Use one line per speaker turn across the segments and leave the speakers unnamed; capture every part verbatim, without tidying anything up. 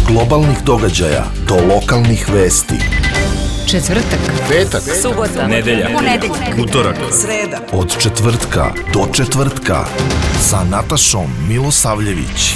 globalnih događaja do lokalnih vesti.
Četvrtak,
petak,
subota,
nedelja,
ponedeljak,
utorak,
sreda.
Od četvrtka do četvrtka sa Natašom Milosavljević.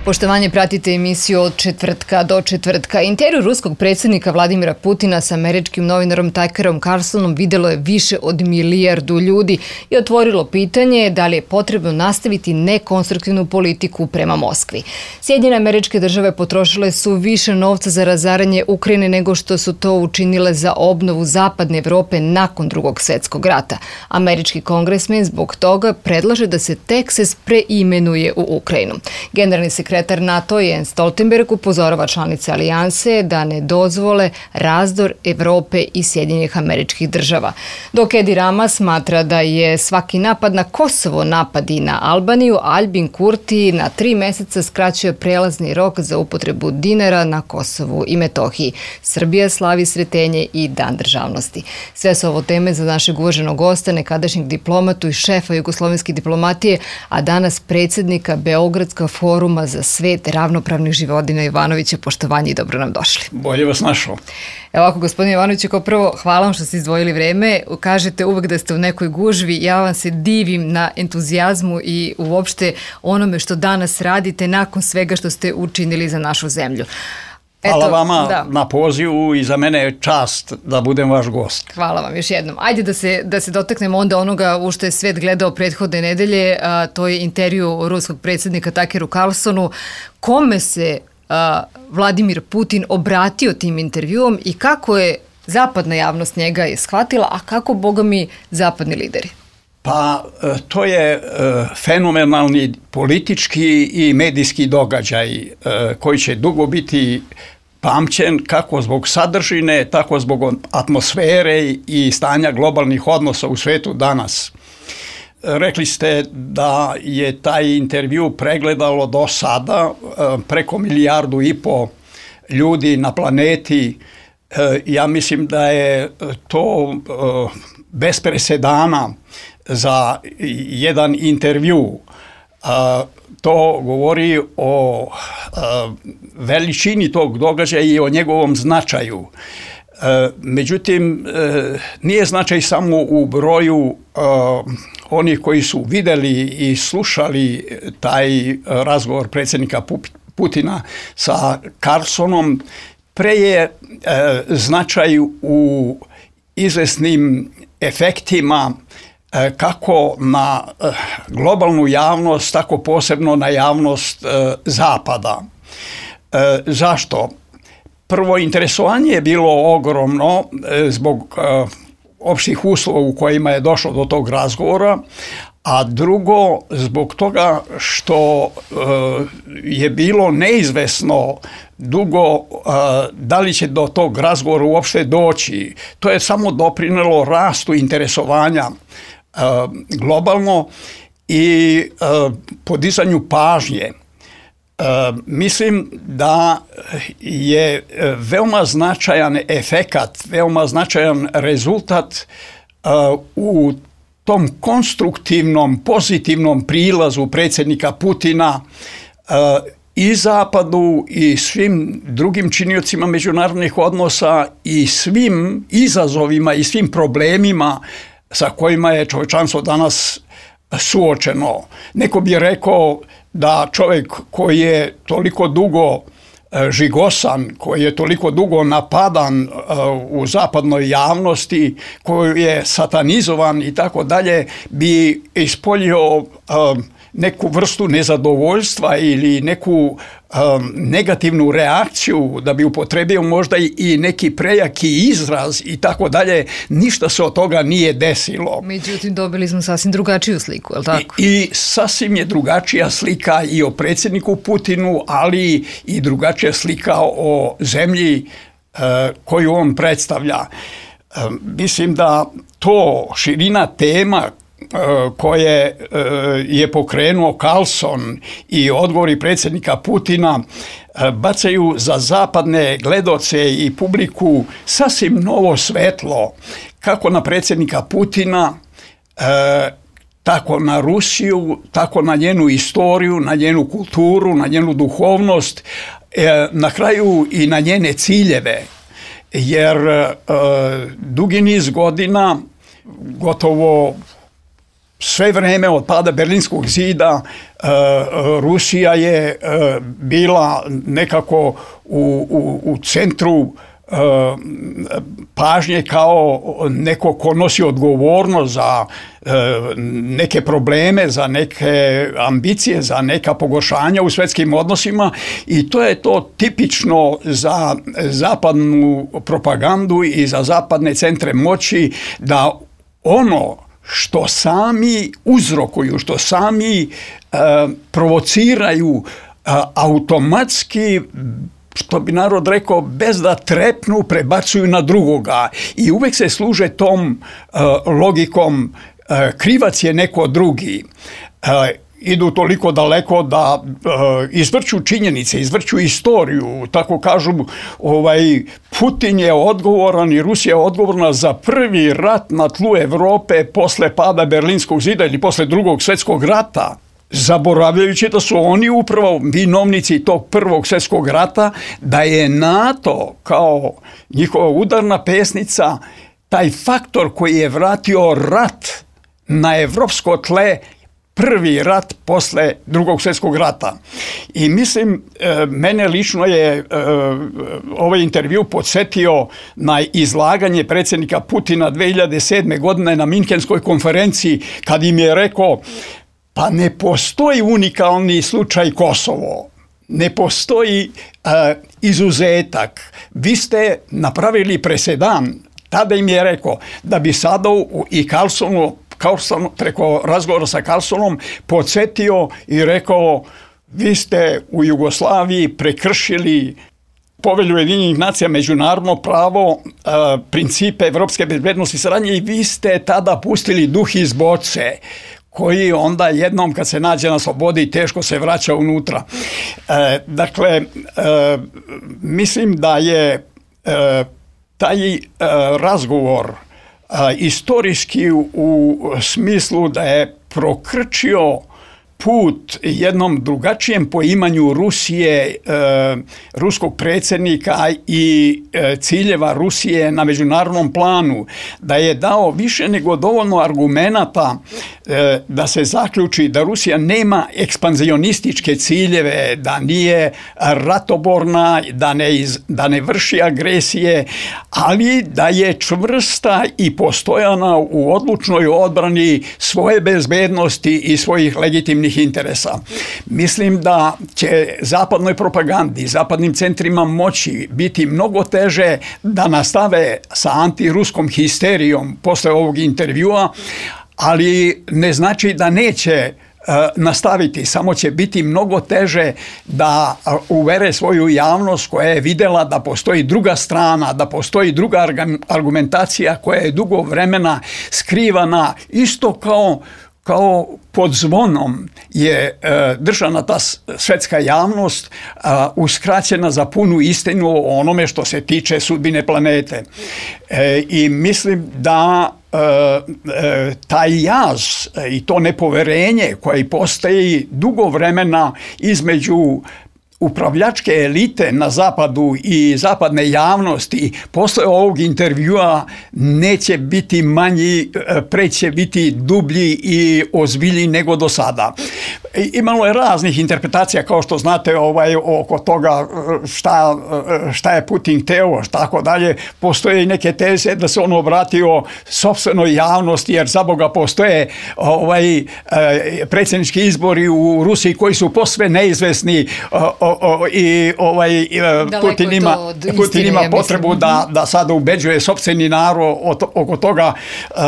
Poštovanje, pratite emisiju Od četvrtka do četvrtka. Intervju ruskog predsjednika Vladimira Putina sa američkim novinarom Tuckerom Carlsonom videlo je više od milijardu ljudi i otvorilo pitanje da li je potrebno nastaviti nekonstruktivnu politiku prema Moskvi. Sjedinjene Američke Države potrošile su više novca za razaranje Ukrajine nego što su to učinile za obnovu zapadne Evrope nakon Drugog svjetskog rata. Američki kongresmen zbog toga predlaže da se Teksas preimenuje u Ukrajinu. Generalni sekretar Sekretar NATO Jens Stoltenberg upozorava članice alijanse da ne dozvole razdor Evrope i Sjedinjenih Američkih Država. Dok Edi Rama smatra da je svaki napad na Kosovo napad i na Albaniju, Albin Kurti na tri mjeseca skraćuje prelazni rok za upotrebu dinara na Kosovu i Metohiji. Srbija slavi Sretenje i Dan državnosti. Sve su ovo teme za našeg uvaženog gosta, nekadašnjeg diplomatu i šefa jugoslovenske diplomatije, a danas predsjednika Beogradskog foruma za svet ravnopravnih Živodina Ivanovića. Poštovanje i dobro nam došli.
Bolje vas našao.
Evo ovako, gospodine Ivanoviću, kao prvo, hvala vam što ste izdvojili vreme. Kažete uvek da ste u nekoj gužvi. Ja vam se divim na entuzijazmu i uopšte onome što danas radite nakon svega što ste učinili za našu zemlju.
Hvala
Eto,
vama
da.
na pozivu i za mene je čast da budem vaš gost.
Hvala vam još jednom. Ajde da se, da se dotaknemo onda onoga u što je svet gledao prethodne nedelje, a, to je intervju ruskog predsjednika Tuckeru Carlsonu. Kome se a, Vladimir Putin obratio tim intervjuom i kako je zapadna javnost njega je shvatila, a kako, boga mi, zapadni lideri?
Pa to je fenomenalni politički i medijski događaj koji će dugo biti pamćen kako zbog sadržine, tako zbog atmosfere i stanja globalnih odnosa u svetu danas. Rekli ste da je taj intervju pregledalo do sada preko milijardu i po ljudi na planeti. Ja mislim da je to bez presedana za jedan intervju. To govori o veličini tog događaja i o njegovom značaju. Međutim, nije značaj samo u broju onih koji su vidjeli i slušali taj razgovor predsjednika Putina sa Carlsonom, pre je značaj u izvesnim efektima kako na globalnu javnost, tako posebno na javnost Zapada. Zašto? Prvo, interesovanje je bilo ogromno zbog opštih uslova u kojima je došlo do tog razgovora, a drugo, zbog toga što je bilo neizvesno dugo da li će do tog razgovora uopšte doći. To je samo doprinelo rastu interesovanja globalno i podizanju pažnje. Mislim da je veoma značajan efekat, veoma značajan rezultat u tom konstruktivnom, pozitivnom prilazu predsjednika Putina i Zapadu i svim drugim činiocima međunarodnih odnosa i svim izazovima i svim problemima sa kojima je čovječanstvo danas suočeno. Neko bi rekao da čovjek koji je toliko dugo žigosan, koji je toliko dugo napadan u zapadnoj javnosti, koji je satanizovan i tako dalje, bi ispoljio neku vrstu nezadovoljstva ili neku um, negativnu reakciju, da bi upotrebio možda i neki prejaki izraz i tako dalje. Ništa se od toga nije desilo.
Međutim, dobili smo sasvim drugačiju sliku, je li tako?
I, i sasvim je drugačija slika i o predsjedniku Putinu, ali i drugačija slika o zemlji uh, koju on predstavlja. Uh, mislim da to širina tema koje je pokrenuo Carlson i odgovori predsjednika Putina bacaju za zapadne gledaoce i publiku sasvim novo svetlo kako na predsjednika Putina, tako na Rusiju, tako na njenu istoriju, na njenu kulturu, na njenu duhovnost na kraju i na njene ciljeve, jer dugi niz godina, gotovo sve vreme od pada Berlinskog zida, Rusija je bila nekako u, u, u centru pažnje kao neko ko nosi odgovornost za neke probleme, za neke ambicije, za neka pogoršanja u svjetskim odnosima, i to je to tipično za zapadnu propagandu i za zapadne centre moći, da ono što sami uzrokuju, što sami e, provociraju, e, automatski, što bi narod rekao, bez da trepnu, prebacuju na drugoga. I uvek se služe tom e, logikom e, krivac je neko drugi. E, idu toliko daleko da e, izvrću činjenice, izvrću istoriju, tako kažu, ovaj, Putin je odgovoran i Rusija je odgovorna za prvi rat na tlu Evrope posle pada Berlinskog zida ili posle drugog svjetskog rata, zaboravljajući da su oni upravo vinovnici tog prvog svjetskog rata, da je NATO kao njihova udarna pesnica taj faktor koji je vratio rat na evropsko tle, prvi rat posle drugog svjetskog rata. I mislim, mene lično je ovaj intervju podsjetio na izlaganje predsjednika Putina dve hiljade sedme. godine na Minhenskoj konferenciji, kad im je rekao, pa ne postoji unikalni slučaj Kosovo, ne postoji uh, izuzetak. Vi ste napravili presedan. Tada im je rekao da bi sada i Carlsonu, Carlson, preko razgovora sa Carlsonom podsjetio i rekao, vi ste u Jugoslaviji prekršili Povelju Ujedinjenih nacija, međunarodno pravo, uh, principe evropske bezbednosti i saradnje, i vi ste tada pustili duh iz boce, koji onda jednom kad se nađe na slobodi teško se vraća unutra. E, dakle, e, mislim da je e, taj e, razgovor e, istorijski u, u smislu da je prokrčio put jednom drugačijem poimanju Rusije, e, ruskog predsjednika i e, ciljeva Rusije na međunarodnom planu, da je dao više nego dovoljno argumenata e, da se zaključi da Rusija nema ekspanzionističke ciljeve, da nije ratoborna, da ne, iz, da ne vrši agresije, ali da je čvrsta i postojana u odlučnoj odbrani svoje bezbednosti i svojih legitimnih interesa. Mislim da će zapadnoj propagandi, zapadnim centrima moći biti mnogo teže da nastave sa antiruskom histerijom posle ovog intervjua, ali ne znači da neće nastaviti, samo će biti mnogo teže da uvere svoju javnost koja je vidjela da postoji druga strana, da postoji druga argumentacija koja je dugo vremena skrivana, isto kao kao pod zvonom je e, držana ta svetska javnost e, uskraćena za punu istinu o onome što se tiče sudbine planete. E, I mislim da e, e, taj jaz i to nepoverenje koje postoji dugo vremena između upravljačke elite na zapadu i zapadne javnosti posle ovog intervjua neće biti manji, preće biti dublji i ozbiljniji nego do sada. Imalo je raznih interpretacija, kao što znate, ovaj, oko toga šta, šta je Putin hteo, tako dalje. Postoje i neke teze da se on obratio sopstvenoj javnosti, jer za Boga postoje ovaj, predsjednički izbori u Rusiji koji su posve neizvesni, o, o, i ovaj, Putin ima, Putin ima potrebu da, da sada ubeđuje sopstveni narod oko toga uh,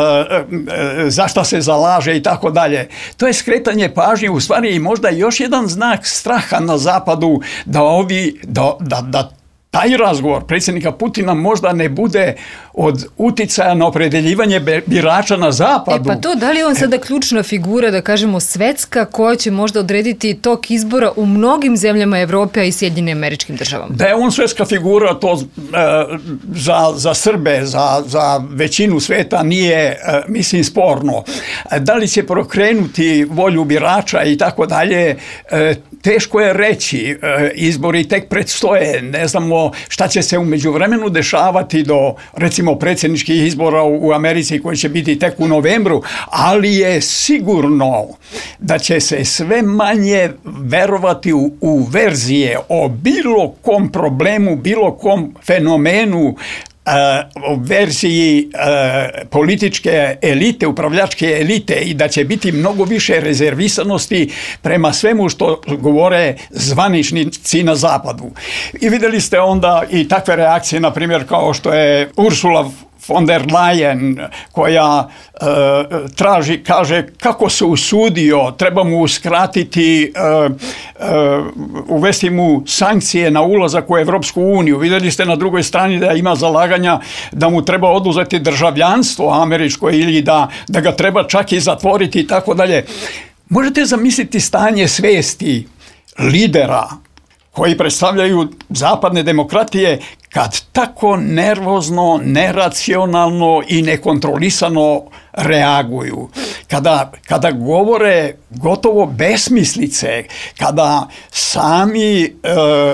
za šta se zalaže i tako dalje. To je skretanje pažnje, u stvari i možda još jedan znak straha na zapadu da ovi, da, da, da taj razgovor predsjednika Putina možda ne bude od uticaja na opredeljivanje birača na zapadu.
E pa to, da li je on sada ključna figura, da kažemo svetska, koja će možda odrediti tok izbora u mnogim zemljama Evrope, a i Sjedinjenim Američkim Državama?
Da je on svetska figura, to e, za, za Srbe, za, za većinu sveta nije, e, mislim, sporno. Da li će prokrenuti volju birača i tako dalje, e, teško je reći. E, izbori tek predstoje, ne znamo šta će se u međuvremenu dešavati do, recimo, predsjedničkih izbora u Americi koji će biti tek u novembru, ali je sigurno da će se sve manje verovati u, u verzije o bilo kom problemu, bilo kom fenomenu, o verziji e, političke elite, upravljačke elite, i da će biti mnogo više rezervisanosti prema svemu što govore zvaničnici na zapadu. I vidjeli ste onda i takve reakcije, na primjer, kao što je Ursula von der Leyen, koja e, traži, kaže, kako se usudio, treba mu uskratiti, e, e, uvesti mu sankcije na ulazak u Evropsku uniju. Vidjeli ste na drugoj strani da ima zalaganja da mu treba oduzeti državljanstvo američko ili da, da ga treba čak i zatvoriti i tako dalje. Možete zamisliti stanje svesti lidera koji predstavljaju zapadne demokratije kad tako nervozno, neracionalno i nekontrolisano reaguju, kada, kada govore gotovo besmislice, kada sami e,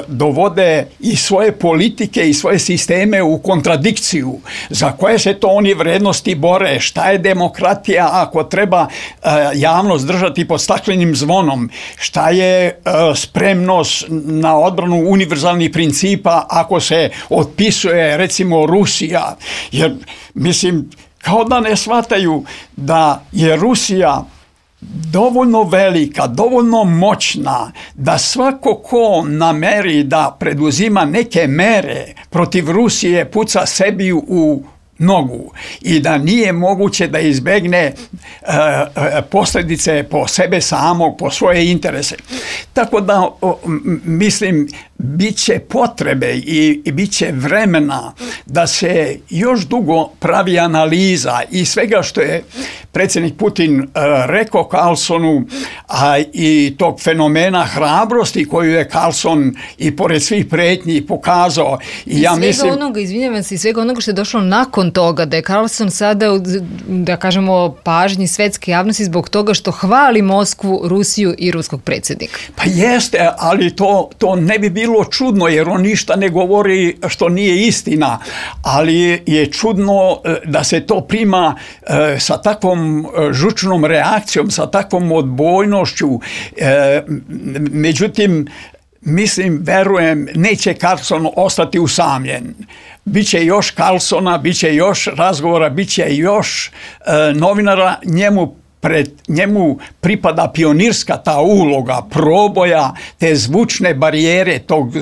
dovode i svoje politike i svoje sisteme u kontradikciju, za koje se to oni vrednosti bore, šta je demokratija ako treba e, javnost držati pod staklenim zvonom, šta je e, spremnost na odbranu univerzalnih principa ako se otpisuje, recimo, Rusija, jer, mislim, kao da ne shvataju da je Rusija dovoljno velika, dovoljno moćna, da svako ko nameri da preduzima neke mere protiv Rusije puca sebi u nogu i da nije moguće da izbegne e, posljedice po sebe samog, po svoje interese. Tako da, o, mislim, bit će potrebe i, i bit će vremena da se još dugo pravi analiza i svega što je predsjednik Putin e, rekao Carlsonu, a i tog fenomena hrabrosti koju je Carlson i pored svih pretnji pokazao. I,
I
ja
svega
mislim,
onoga, izvinjavam se, i svega onoga što je došlo nakon toga, da je Carlson sada, da kažemo, pažnji svetske javnosti zbog toga što hvali Moskvu, Rusiju i ruskog predsjednika.
Pa jeste, ali to, to ne bi bilo čudno, jer on ništa ne govori što nije istina, ali je čudno da se to prima e, sa takvom žučnom reakcijom, sa takvom odbojnošću. E, međutim, mislim, verujem, neće Carlson ostati usamljen. Biće još Carlsona, biće još razgovora, biće još e, novinara, njemu pred njemu pripada pionirska ta uloga proboja te zvučne barijere, tog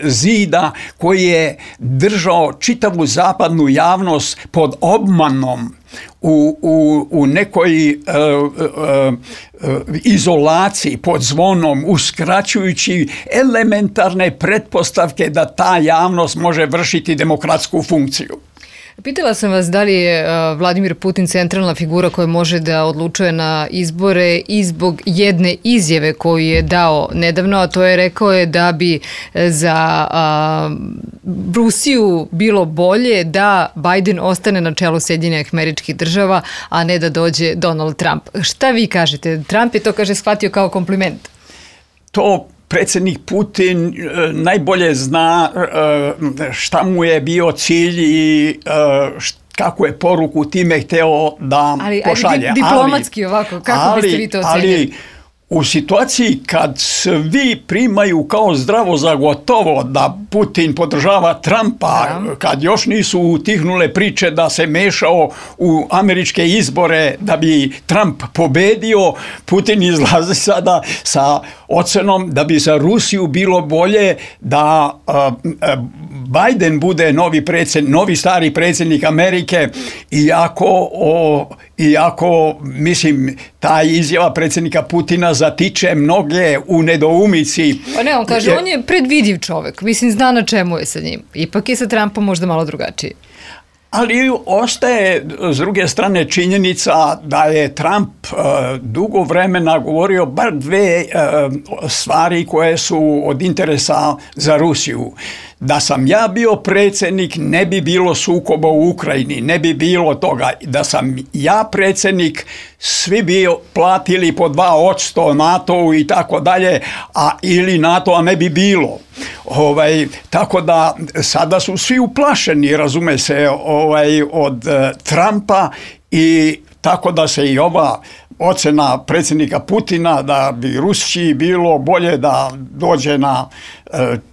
zida koji je držao čitavu zapadnu javnost pod obmanom, u, u, u nekoj e, e, e, izolaciji, pod zvonom, uskraćujući elementarne pretpostavke da ta javnost može vršiti demokratsku funkciju.
Pitala sam vas da li je Vladimir Putin centralna figura koja može da odlučuje na izbore i zbog jedne izjave koju je dao nedavno, a to je rekao je da bi za a, Rusiju bilo bolje da Biden ostane na čelu Sjedinjenih Američkih Država, a ne da dođe Donald Trump. Šta vi kažete? Trump je to, kaže, shvatio kao kompliment.
To predsjednik Putin najbolje zna šta mu je bio cilj i kako je poruku time hteo da
ali,
pošalje.
Ali diplomatski ovako, kako
ali,
biste vi to ocenili?
Ali u situaciji kad svi primaju kao zdravo za gotovo da Putin podržava Trumpa, da, kad još nisu utihnule priče da se mešao u američke izbore da bi Trump pobedio, Putin izlazi sada sa ocenom da bi za Rusiju bilo bolje da uh, Biden bude novi predsjednik, novi stari predsjednik Amerike, iako, o, iako mislim, ta izjava predsjednika Putina zatiče mnoge u nedoumici.
Pa ne, on kaže, on je predvidiv čovjek, mislim, zna na čemu je sa njim. Ipak je sa Trumpom možda malo drugačiji.
Ali ostaje s druge strane činjenica da je Trump uh, dugo vremena govorio bar dve uh, stvari koje su od interesa za Rusiju. Da sam ja bio predsjednik, ne bi bilo sukoba u Ukrajini, ne bi bilo toga. Da sam ja predsjednik, svi bi platili po dva odsto NATO-u i tako dalje, a ili NATO-a ne bi bilo. Ovaj, tako da sada su svi uplašeni, razume se, ovaj, od uh, Trumpa, i tako da se i ova ocjena predsjednika Putina da bi Rusiji bilo bolje da dođe na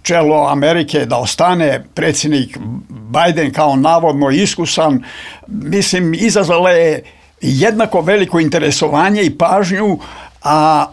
čelo Amerike, da ostane predsjednik Biden kao navodno iskusan, mislim, izazvala je jednako veliko interesovanje i pažnju, a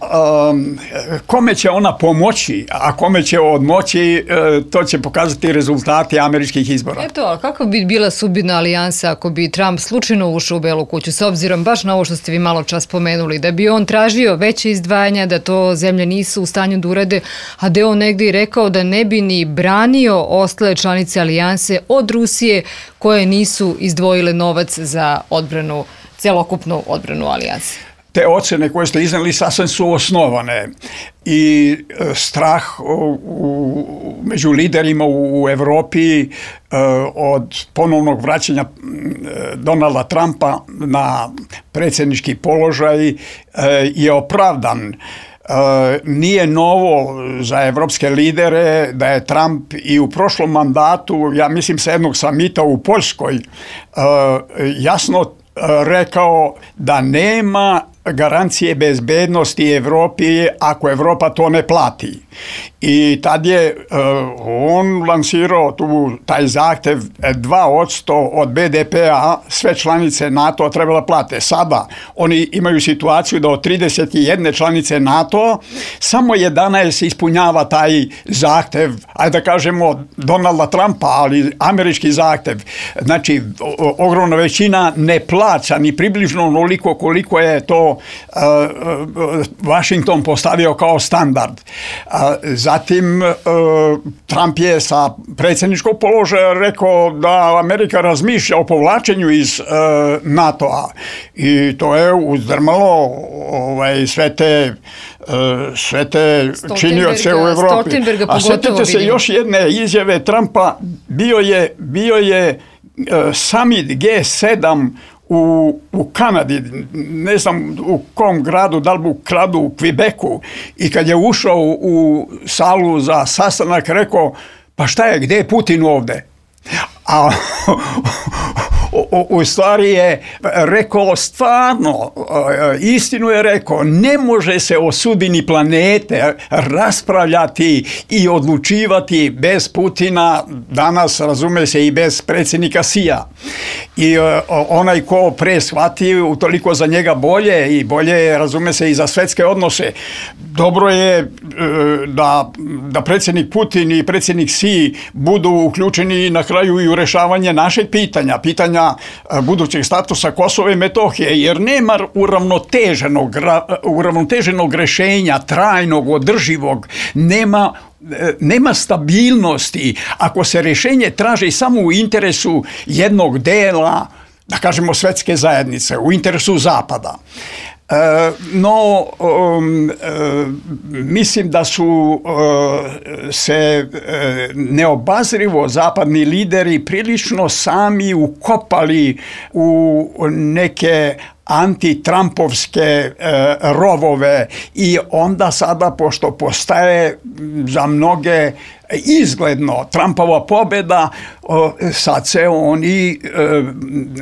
um, kome će ona pomoći, a kome će odmoći, to će pokazati rezultati američkih izbora.
Eto, a kako bi bila sudbina alijansa ako bi Trump slučajno ušao u Belu kuću, s obzirom baš na ovo što ste vi malo čas spomenuli, da bi on tražio veće izdvajanja, da to zemlje nisu u stanju da urade, a da je on negdje i rekao da ne bi ni branio ostale članice alijanse od Rusije koje nisu izdvojile novac za odbranu, celokupnu odbranu alijanse.
Te ocjene koje ste iznijeli sasvim su osnovane i strah u, u, među liderima u, u Europi e, od ponovnog vraćanja Donalda Trumpa na predsjednički položaj e, je opravdan. E, nije novo za evropske lidere da je Trump i u prošlom mandatu, ja mislim sa jednog samita u Poljskoj, e, jasno rekao da nema garancije bezbednosti Evropi ako Evropa to ne plati. I tad je uh, on lansirao tu taj zahtjev dva odsto od be de pe-a sve članice NATO-a trebala plate. Sada oni imaju situaciju da od trideset jedne članice NATO samo jedanaest ispunjava taj zahtjev, ajde da kažemo Donalda Trumpa, ali američki zahtjev. Znači, o, ogromna većina ne plaća ni približno onoliko koliko je to uh, Washington postavio kao standard. Uh, Zatim Trump je sa predsjedničkog položaja rekao da Amerika razmišlja o povlačenju iz NATO-a i to je uzdrmalo ovaj, sve te, sve te činioce u Europi. A sjetite se još jedne izjave Trumpa, bio je, bio je summit ge sedam U, u Kanadi, ne znam u kom gradu, da li u gradu u Quebecu, i kad je ušao u, u salu za sastanak, rekao, pa šta je, gdje je Putin ovdje? A u, u stvari je rekao stvarno, istinu je rekao, ne može se o sudbini planete raspravljati i odlučivati bez Putina, danas razume se i bez predsjednika Si-a. I onaj ko pre shvati, utoliko za njega bolje i bolje razume se i za svjetske odnose. Dobro je da, da predsjednik Putin i predsjednik Si budu uključeni na kraju i u rješavanje našeg pitanja, pitanja budućeg statusa Kosova i Metohije, jer nema uravnoteženog, uravnoteženog rješenja, trajnog, održivog, nema nema stabilnosti ako se rješenje traži samo u interesu jednog dela, da kažemo, svjetske zajednice, u interesu Zapada. E, no, um, e, mislim da su e, se e, neobazrivo zapadni lideri prilično sami ukopali u neke antitrampovske e, rovove i onda sada, pošto postaje za mnoge izgledno Trumpova pobjeda, o, sad se oni e,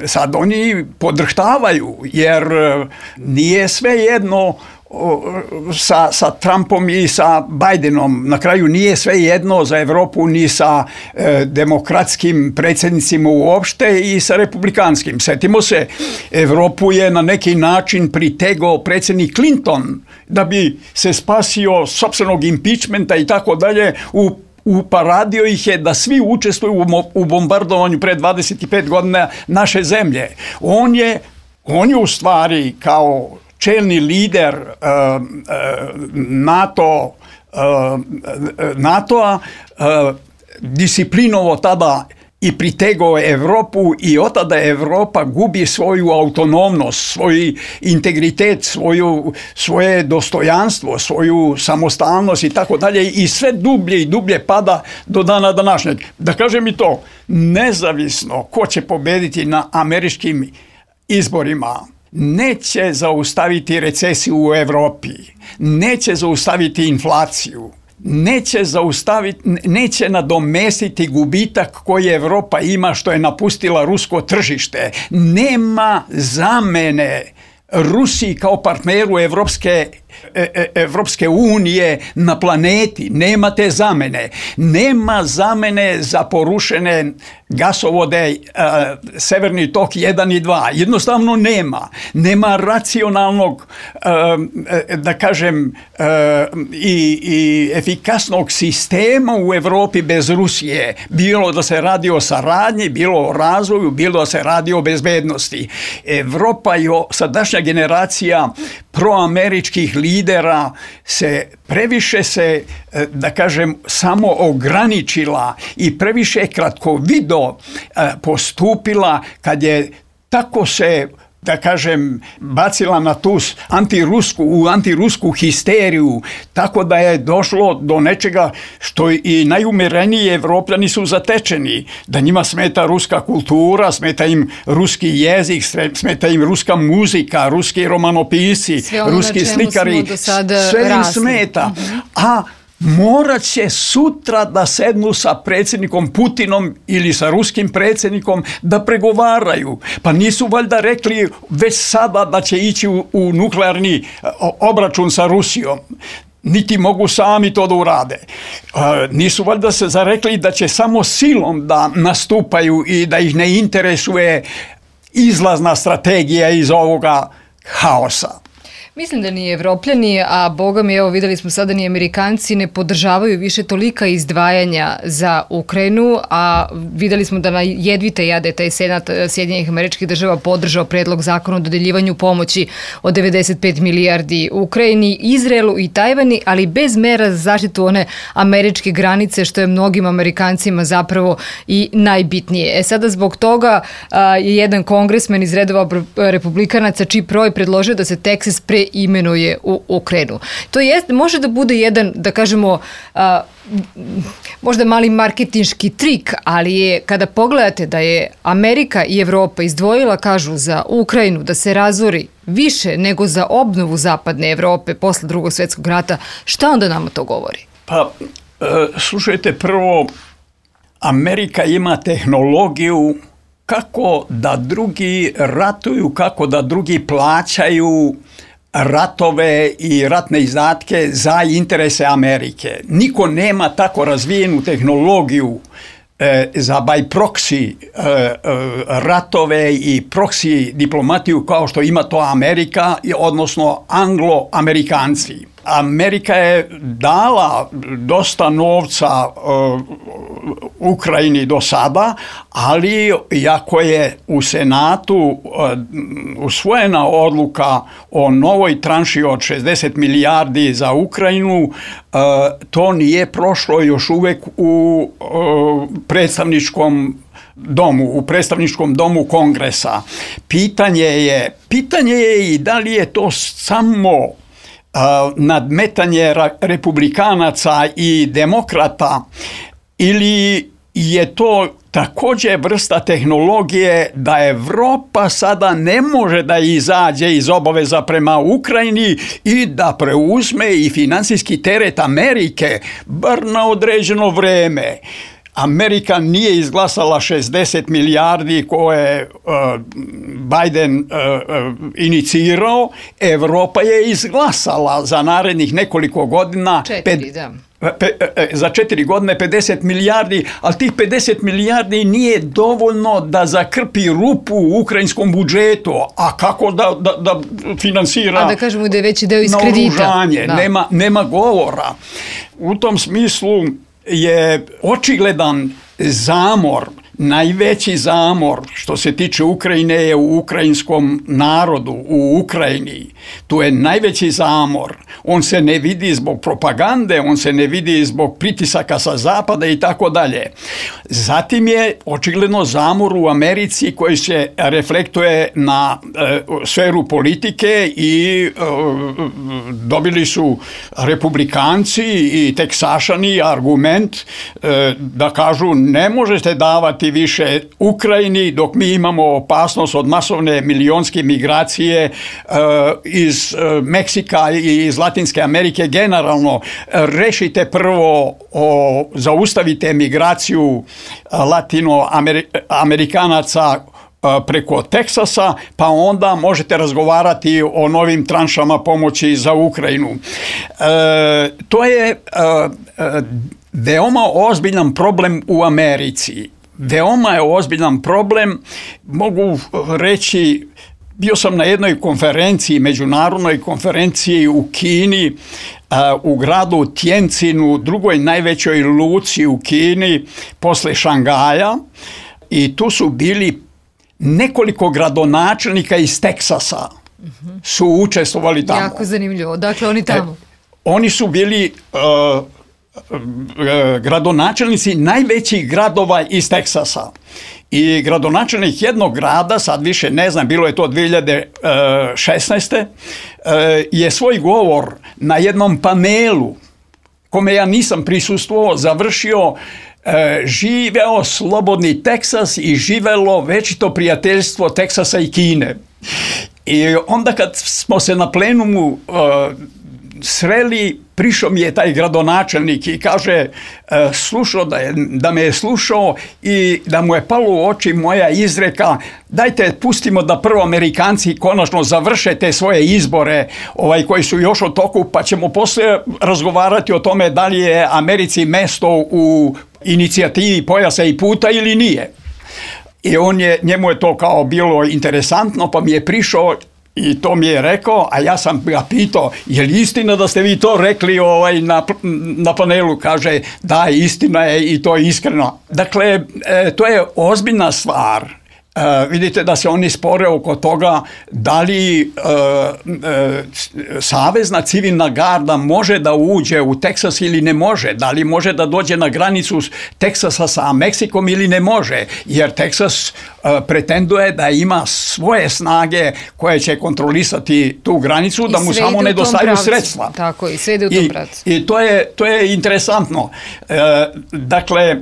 sad oni podrhtavaju, jer nije sve jedno Sa, sa Trumpom i sa Bidenom. Na kraju nije sve jedno za Europu ni sa e, demokratskim predsjednicima uopšte i sa republikanskim. Sjetimo se, Europu je na neki način pritegao predsjednik Clinton da bi se spasio sopstvenog impeachmenta i tako dalje u uparadio ih je da svi učestvuju u bombardovanju pre dvadeset pet godina naše zemlje. On je, on je u stvari kao čelni lider uh, uh, NATO, uh, NATO-a uh, disciplinovo tada i pritegao Evropu i od tada Evropa gubi svoju autonomnost, svoj integritet, svoju, svoje dostojanstvo, svoju samostalnost i tako dalje i sve dublje i dublje pada do dana današnjeg. Da kažem i to, nezavisno ko će pobediti na američkim izborima, neće zaustaviti recesiju u Evropi, neće zaustaviti inflaciju, neće zaustaviti, neće nadomestiti gubitak koji Evropa ima što je napustila rusko tržište. Nema zamene Rusiji kao partneru Evropske, Evropske unije na planeti. Nema te zamene. Nema zamene za porušene gasovode uh, Severni tok jedan i dva. Jednostavno nema. Nema racionalnog, uh, da kažem, uh, i, i efikasnog sistema u Evropi bez Rusije. Bilo da se radi o saradnji, bilo o razvoju, bilo da se radi o bezbednosti. Evropa i sadašnja generacija proameričkih lidera se previše se, da kažem, samo ograničila i previše kratkovido postupila kad je tako se, da kažem, bacila na tu antirusku, u antirusku histeriju, tako da je došlo do nečega što i najumereniji Evropljani su zatečeni, da njima smeta ruska kultura, smeta im ruski jezik, smeta im ruska muzika, ruski romanopisci, ruski slikari, sve im smeta. Uh-huh. A morat će sutra da sednu sa predsjednikom Putinom ili sa ruskim predsjednikom da pregovaraju. Pa nisu valjda rekli već sada da će ići u, u nuklearni obračun sa Rusijom. Niti mogu sami to da urade. Uh, nisu valjda se zarekli da će samo silom da nastupaju i da ih ne interesuje izlazna strategija iz ovoga haosa.
Mislim da ni Evropljani, a boga mi, evo videli smo sada, ni Amerikanci ne podržavaju više tolika izdvajanja za Ukrajinu, a videli smo da na jedvite jade taj Senat Sjedinjenih Američkih Država podržao predlog zakona o dodeljivanju pomoći od devedeset pet milijardi Ukrajini, Izraelu i Tajvani, ali bez mera za zaštitu one američke granice, što je mnogim Amerikancima zapravo i najbitnije. E sada zbog toga a, je jedan kongresmen iz redova republikanaca Chip Roy predložio da se Teksas pre imenuje u Ukrajinu. To jest, može da bude jedan, da kažemo, a, možda mali marketinški trik, ali je, kada pogledate da je Amerika i Evropa izdvojila, kažu, za Ukrajinu da se razori više nego za obnovu zapadne Evrope posle Drugog svjetskog rata, šta onda nama to govori?
Pa, e, slušajte, prvo, Amerika ima tehnologiju kako da drugi ratuju, kako da drugi plaćaju ratove i ratne izdatke za interese Amerike. Niko nema tako razvijenu tehnologiju e, za by proxy e, e, ratove i proxy diplomatiju kao što ima to Amerika, odnosno Anglo-Amerikanci. Amerika je dala dosta novca uh, Ukrajini do sada, ali iako je u Senatu uh, usvojena odluka o novoj tranši od šezdeset milijardi za Ukrajinu, uh, to nije prošlo još uvek u uh, predstavničkom domu, u predstavničkom domu Kongresa. Pitanje je, pitanje je i da li je to samo nadmetanje republikanaca i demokrata ili je to također vrsta tehnologije da Evropa sada ne može da izađe iz obaveza prema Ukrajini i da preuzme i financijski teret Amerike, bar na određeno vreme. Amerika nije izglasala šezdeset milijardi koje uh, Biden uh, uh, inicirao, Evropa je izglasala za narednih nekoliko godina
četiri, da.
Pe, za četiri godine pedeset milijardi, ali tih pedeset milijardi nije dovoljno da zakrpi rupu u ukrajinskom budžetu, a kako da, da, da finansira
a da kažemo da je veći deo iz kredita.
Da. Nema, nema govora. U tom smislu je očigledan zamor, najveći zamor što se tiče Ukrajine je u ukrajinskom narodu, u Ukrajini. Tu je najveći zamor. On se ne vidi zbog propagande, on se ne vidi zbog pritisaka sa zapada i tako dalje. Zatim je očigledno zamor u Americi koji se reflektuje na e, sferu politike i e, dobili su republikanci i teksašani argument e, da kažu ne možete davati više Ukrajini dok mi imamo opasnost od masovne milionske migracije uh, iz uh, Meksika i iz Latinske Amerike generalno. Rešite prvo, o, zaustavite migraciju latinoamerikanaca preko Teksasa, pa onda možete razgovarati o novim tranšama pomoći za Ukrajinu. E, to je e, veoma ozbiljan problem u Americi. Veoma je ozbiljan problem, mogu reći, bio sam na jednoj konferenciji, međunarodnoj konferenciji u Kini, u gradu Tjencinu, drugoj najvećoj luci u Kini, posle Šangaja, i tu su bili nekoliko gradonačelnika iz Teksasa, su učestvovali tamo.
Jako zanimljivo, dakle oni tamo.
E, oni su bili Uh, gradonačelnici najvećih gradova iz Teksasa. I gradonačelnik jednog grada, sad više ne znam, bilo je to dvije hiljade šesnaeste. je svoj govor na jednom panelu, kome ja nisam prisustvovao, završio živeo slobodni Teksas i živelo večito prijateljstvo Teksasa i Kine. I onda kad smo se na plenumu uh, sreli, prišao mi je taj gradonačelnik i kaže slušao da, je, da me je slušao i da mu je palo u oči moja izreka, dajte pustimo da prvo Amerikanci konačno završe te svoje izbore ovaj, koji su još u toku, pa ćemo poslije razgovarati o tome da li je Americi mesto u inicijativi Pojasa i puta ili nije. I on je, njemu je to kao bilo interesantno, pa mi je prišao i to mi je rekao, a ja sam ga pitao, je li istina da ste vi to rekli ovaj, na, na panelu? Kaže, da, istina je i to je iskreno. Dakle, e, to je ozbiljna stvar. E, vidite da se oni spore oko toga da li e, e, Savezna civilna garda može da uđe u Teksas ili ne može, da li može da dođe na granicu Teksasa sa Meksikom ili ne može, jer Teksas e, pretenduje da ima svoje snage koje će kontrolisati tu granicu, I da mu samo nedostaju sredstva.
Tako, i sve ide u tom pravcu.
I, i to, je, to je interesantno. E, dakle, e,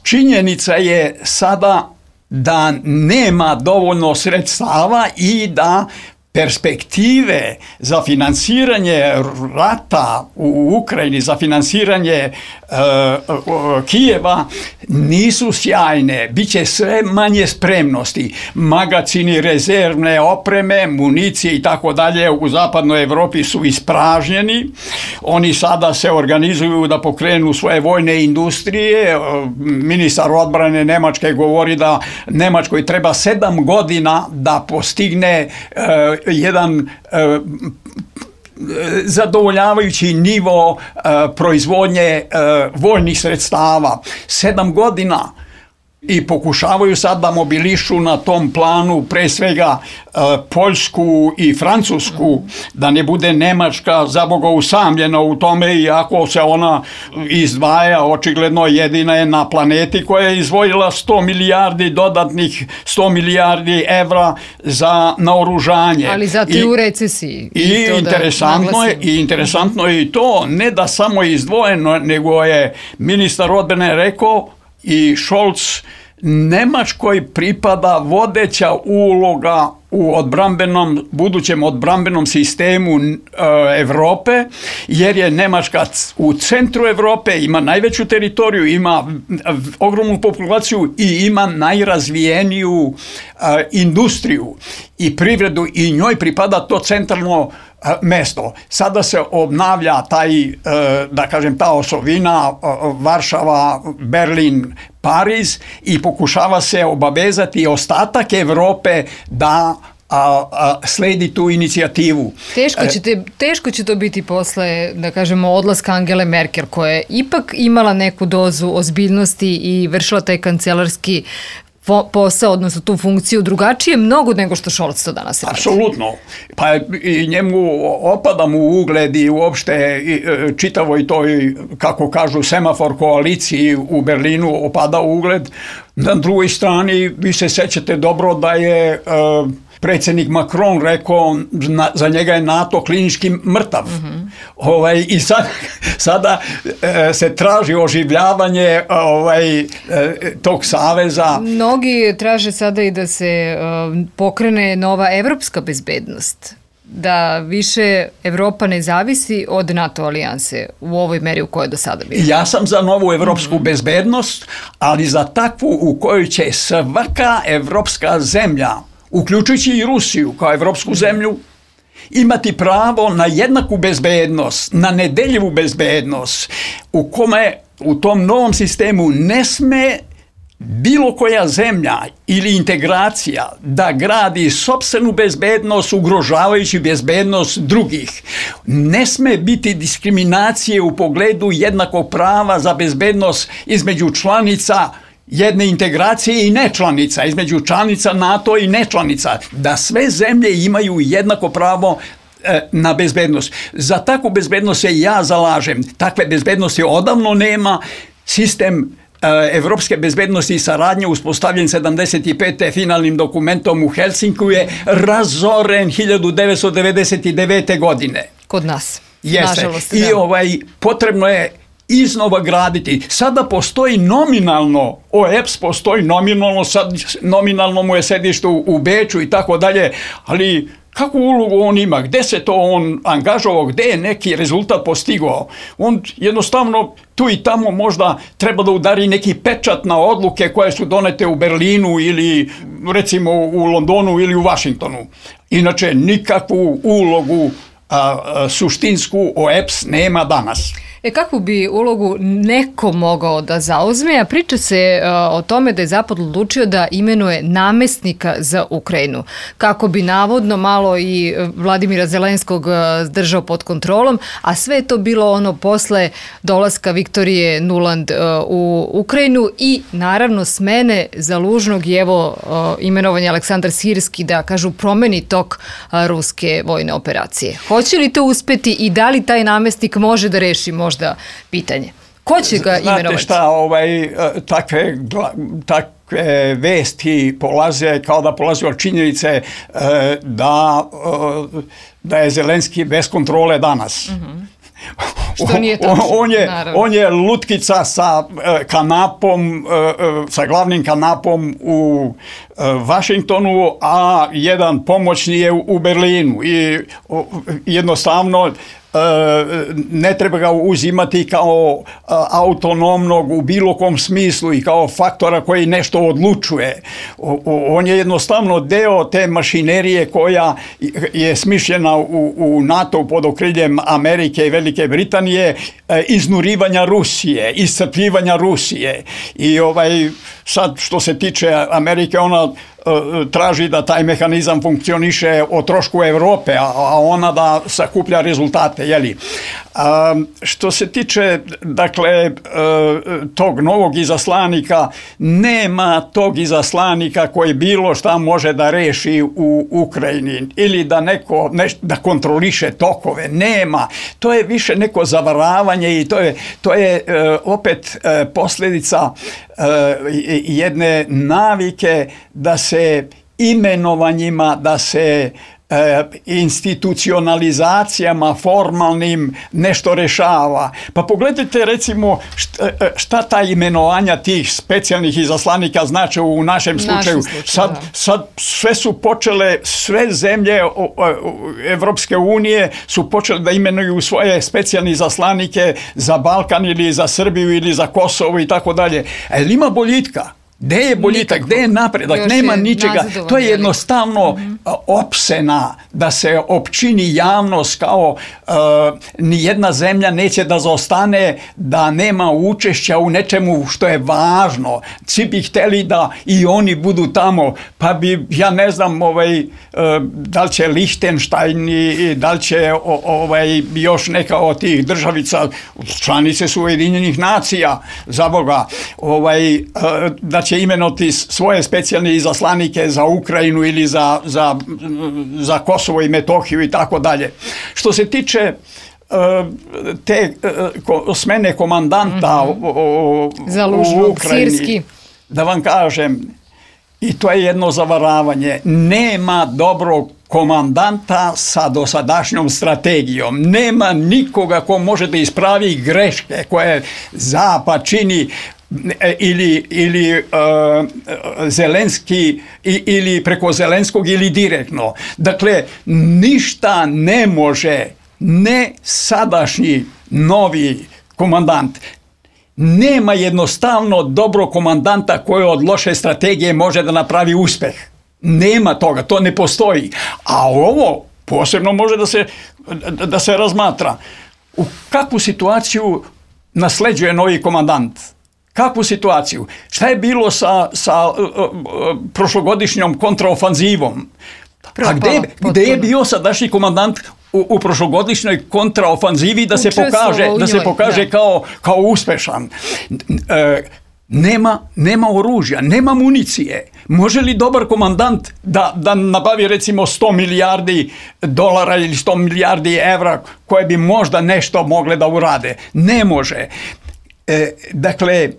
činjenica je sada da nema dovoljno sredstava i da perspektive za finansiranje rata u Ukrajini, za finansiranje uh, Kijeva nisu sjajne. Biće sve manje spremnosti. Magacini rezervne opreme, municije i tako dalje u zapadnoj Evropi su ispražnjeni. Oni sada se organizuju da pokrenu svoje vojne industrije. Ministar odbrane Nemačke govori da Nemačkoj treba sedam godina da postigne uh, jedan uh, zadovoljavajući nivo uh, proizvodnje uh, vojnih sredstava. Sedam godina. I pokušavaju sad da mobilišu na tom planu pre svega uh, Poljsku i Francusku, da ne bude Nemačka zaboga usamljena u tome, iako se ona izdvaja, očigledno jedina je na planeti koja je izdvojila sto milijardi dodatnih sto milijardi evra za naoružanje.
Ali zato i u recesiji.
I, i, to interesantno je, i interesantno je i to, ne da samo izdvojeno, nego je ministar odbrane rekao i Scholz, Nemačkoj pripada vodeća uloga u odbrambenom, budućem odbrambenom sistemu e, Evrope, jer je Nemačka u centru Evrope, ima najveću teritoriju, ima ogromnu populaciju i ima najrazvijeniju e, industriju i privredu i njoj pripada to centralno mesto. Sada se obnavlja taj, da kažem, ta osovina Varšava, Berlin, Pariz i pokušava se obavezati ostatak Evrope da a, a sledi tu inicijativu.
Teško, ćete, teško će to biti posle, da kažemo, odlaska Angele Merkel, koja je ipak imala neku dozu ozbiljnosti i vršila taj kancelarski posao, odnosno tu funkciju drugačije mnogo nego što Scholz to danas radi.
Apsolutno. Pa i njemu opada mu ugled i uopšte čitavoj toj, kako kažu, semafor koaliciji u Berlinu opada ugled. Na drugoj strani, vi se sećate dobro da je uh, predsjednik Macron rekao na, za njega je NATO klinički mrtav. Mm-hmm. Ovaj, I sad, sada e, se traži oživljavanje ovaj, e, tog saveza.
Mnogi traže sada i da se e, pokrene nova evropska bezbednost. Da više Evropa ne zavisi od NATO alijanse u ovoj meri u kojoj je do sada bilo.
Ja sam za novu evropsku mm-hmm. bezbednost, ali za takvu u kojoj će svaka evropska zemlja, uključujući i Rusiju kao evropsku zemlju, imati pravo na jednaku bezbednost, na nedeljivu bezbednost, u kome u tom novom sistemu ne sme bilo koja zemlja ili integracija da gradi sopstvenu bezbednost ugrožavajući bezbednost drugih. Ne sme biti diskriminacije u pogledu jednakog prava za bezbednost između članica jedne integracije i nečlanica, između članica NATO i nečlanica, da sve zemlje imaju jednako pravo e, na bezbednost. Za takvu bezbednost se ja zalažem. Takve bezbednosti odavno nema. Sistem evropske bezbednosti i saradnje uspostavljen sedamdeset pete finalnim dokumentom u Helsinku je razoren hiljadu devetsto devedeset devete. godine.
Kod nas.
Jeste.
Nažalost,
I ovaj, potrebno je iznova graditi. Sada postoji nominalno, O E P S postoji nominalno, sad nominalno mu je sedište u, u Beču i tako dalje, ali kakvu ulogu on ima, gde se to on angažovao, gde je neki rezultat postigao. On jednostavno tu i tamo možda treba da udari neki pečat na odluke koje su donete u Berlinu ili recimo u Londonu ili u Vašingtonu. Inače nikakvu ulogu a, a, suštinsku O E P S nema danas.
E kakvu bi ulogu neko mogao da zauzme, a priča se uh, o tome da je Zapad odlučio da imenuje namestnika za Ukrajinu, kako bi navodno malo i Vladimira Zelenskog uh, držao pod kontrolom, a sve je to bilo ono posle dolaska Viktorije Nuland uh, u Ukrajinu i naravno smene Zalužnog i evo uh, imenovanja Aleksandar Sirski da kažu promeni tok uh, ruske vojne operacije. Hoće li to uspeti i da li taj namestnik može da reši možda da pitanje. Ko će ga imenovati?
Znate šta, ovaj, takve, takve vesti polaze kao da polaze od činjenice da, da je Zelenski bez kontrole danas. Mm-hmm.
Što nije tačno,
on je, on je lutkica sa kanapom, sa glavnim kanapom u Vašingtonu, a jedan pomoćni je u Berlinu i jednostavno ne treba ga uzimati kao autonomnog u bilo kom smislu i kao faktora koji nešto odlučuje. On je jednostavno deo te mašinerije koja je smišljena u, u NATO pod okriljem Amerike i Velike Britanije, iznurivanja Rusije, iscrpljivanja Rusije. I ovaj, sad što se tiče Amerike, ona traži da taj mehanizam funkcioniše o trošku Evrope, a ona da sakuplja rezultate. Jeli? A, što se tiče dakle, tog novog izaslanika, nema tog izaslanika koji bilo šta može da reši u Ukrajini ili da neko neš, da kontroliše tokove. Nema. To je više neko zavaravanje i to je, to je opet posljedica jedne navike da se imenovanjima, da se e, institucionalizacijama formalnim nešto rešava. Pa pogledajte recimo šta, šta ta imenovanja tih specijalnih izaslanika znače u našem slučaju.
slučaju
sad, sad sve su počele, sve zemlje Evropske unije su počele da imenuju svoje specijalne izaslanike za Balkan ili za Srbiju ili za Kosovo i tako dalje. Ali ima boljitka. Gde je boljitak, gde je napredak,
Još
nema
je
ničega.
nazadovanje,
To je
ali-
jednostavno mm-hmm. opsena da se opčini javnost kao uh, nijedna zemlja neće da zaostane, da nema učešća u nečemu što je važno. Svi bi hteli da i oni budu tamo, pa bi, ja ne znam, ovaj, uh, da li će Lihtenštajn i da li će o, ovaj, još neka od tih državica, članice su Ujedinjenih nacija, za Boga, ovaj, uh, da će imenovati svoje specijalne izaslanike za Ukrajinu ili za, za, za Kosovo i Metohiju i tako dalje. Što se tiče uh, te uh, smene komandanta mm-hmm. o, o,
Zalužnog,
u Ukrajini,
sirski.
da vam kažem, i to je jedno zavaravanje, nema dobrog komandanta sa dosadašnjom strategijom. Nema nikoga ko može da ispravi greške koje Zapad čini ili, ili uh, Zelenski ili preko Zelenskog ili direktno. Dakle, ništa ne može ne sadašnji novi komandant. Nema jednostavno dobro komandanta koji od loše strategije može da napravi uspeh. Nema toga, to ne postoji. A ovo posebno može da se, da se razmatra. U kakvu situaciju nasleđuje novi komandant? Kakvu situaciju? Šta je bilo sa, sa uh, uh, prošlogodišnjom kontraofanzivom? A gde, gde je bio sadašnji komandant u, u prošlogodišnjoj kontraofanzivi da se pokaže, da se pokaže kao, kao uspešan? E, nema, nema oružja, nema municije. Može li dobar komandant da, da nabavi recimo sto milijardi dolara ili sto milijardi evra koje bi možda nešto mogle da urade? Ne može. E, dakle,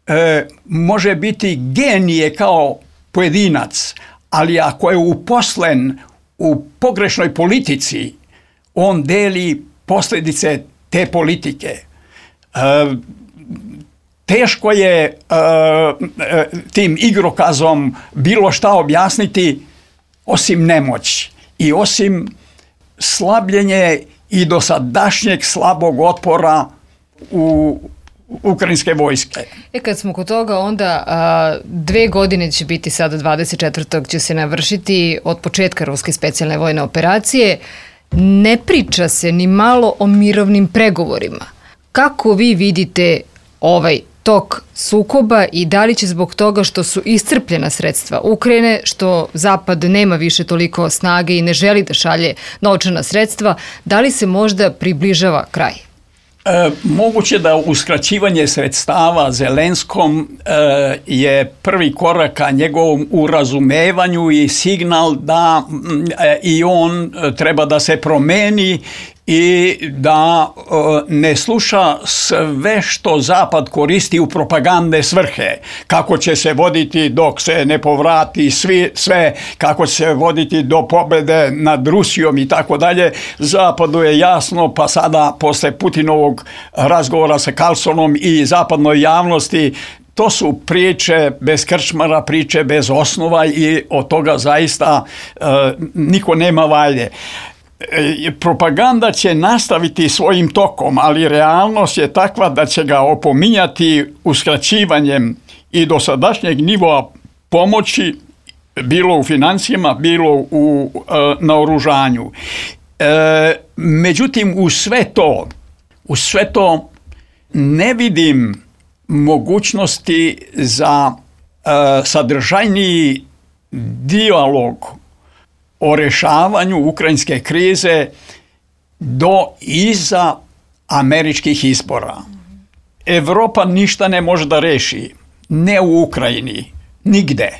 e, može biti genije kao pojedinac, ali ako je uposlen u pogrešnoj politici, on deli posljedice te politike. E, teško je e, tim igrokazom bilo šta objasniti osim nemoći i osim slabljenje i dosadašnjeg slabog otpora u ukrajinske vojske.
E kad smo kod toga, onda a, dve godine će biti sada, dvadeset četvrtog će se navršiti od početka ruske specijalne vojne operacije. Ne priča se ni malo o mirovnim pregovorima. Kako vi vidite ovaj tok sukoba i da li će zbog toga što su iscrpljena sredstva Ukrajine, što Zapad nema više toliko snage i ne želi da šalje novčana sredstva, da li se možda približava kraj?
E, moguće da uskraćivanje sredstava Zelenskom e, je prvi korak ka njegovom urazumevanju i signal da e, i on treba da se promeni i da e, ne sluša sve što Zapad koristi u propagandne svrhe. Kako će se voditi dok se ne povrati svi, sve, kako će se voditi do pobjede nad Rusijom i tako dalje. Zapadu je jasno, pa sada posle Putinovog razgovora sa Carlsonom i zapadnoj javnosti, to su priče bez krčmara, priče bez osnova i od toga zaista e, niko nema valje. Propaganda će nastaviti svojim tokom, ali realnost je takva da će ga opominjati uskraćivanjem i dosadašnjeg nivoa pomoći, bilo u financijama, bilo u e, naoružanju. E, međutim, u sve to, u sve to ne vidim mogućnosti za e, sadržajniji dijalog o rešavanju ukrajinske krize do iza američkih izbora. Evropa ništa ne može da reši, ne u Ukrajini, nigde.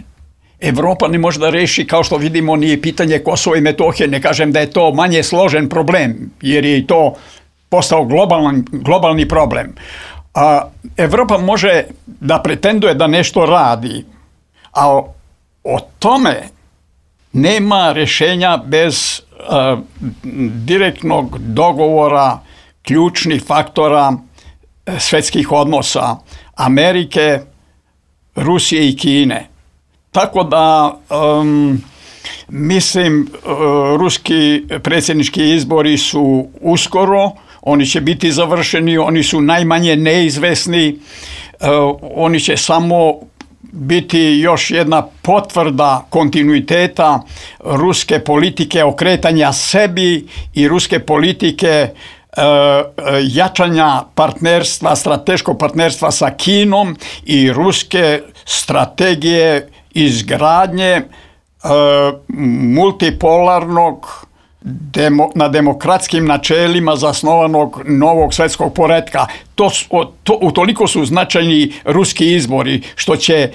Evropa ne može da reši, kao što vidimo, nije pitanje Kosova i Metohije, ne kažem da je to manje složen problem, jer je i to postao globalni, globalni problem. A Evropa može da pretenduje da nešto radi, a o, o tome nema rješenja bez uh, direktnog dogovora ključnih faktora svjetskih odnosa Amerike, Rusije i Kine. Tako da um, mislim uh, ruski predsjednički izbori su uskoro, oni će biti završeni, oni su najmanje neizvesni, uh, oni će samo biti još jedna potvrda kontinuiteta ruske politike okretanja sebi i ruske politike e, jačanja partnerstva, strateškog partnerstva sa Kinom i ruske strategije izgradnje e, multipolarnog Demo, na demokratskim načelima zasnovanog novog svetskog poretka. To, to, utoliko su značajni ruski izbori, što će e,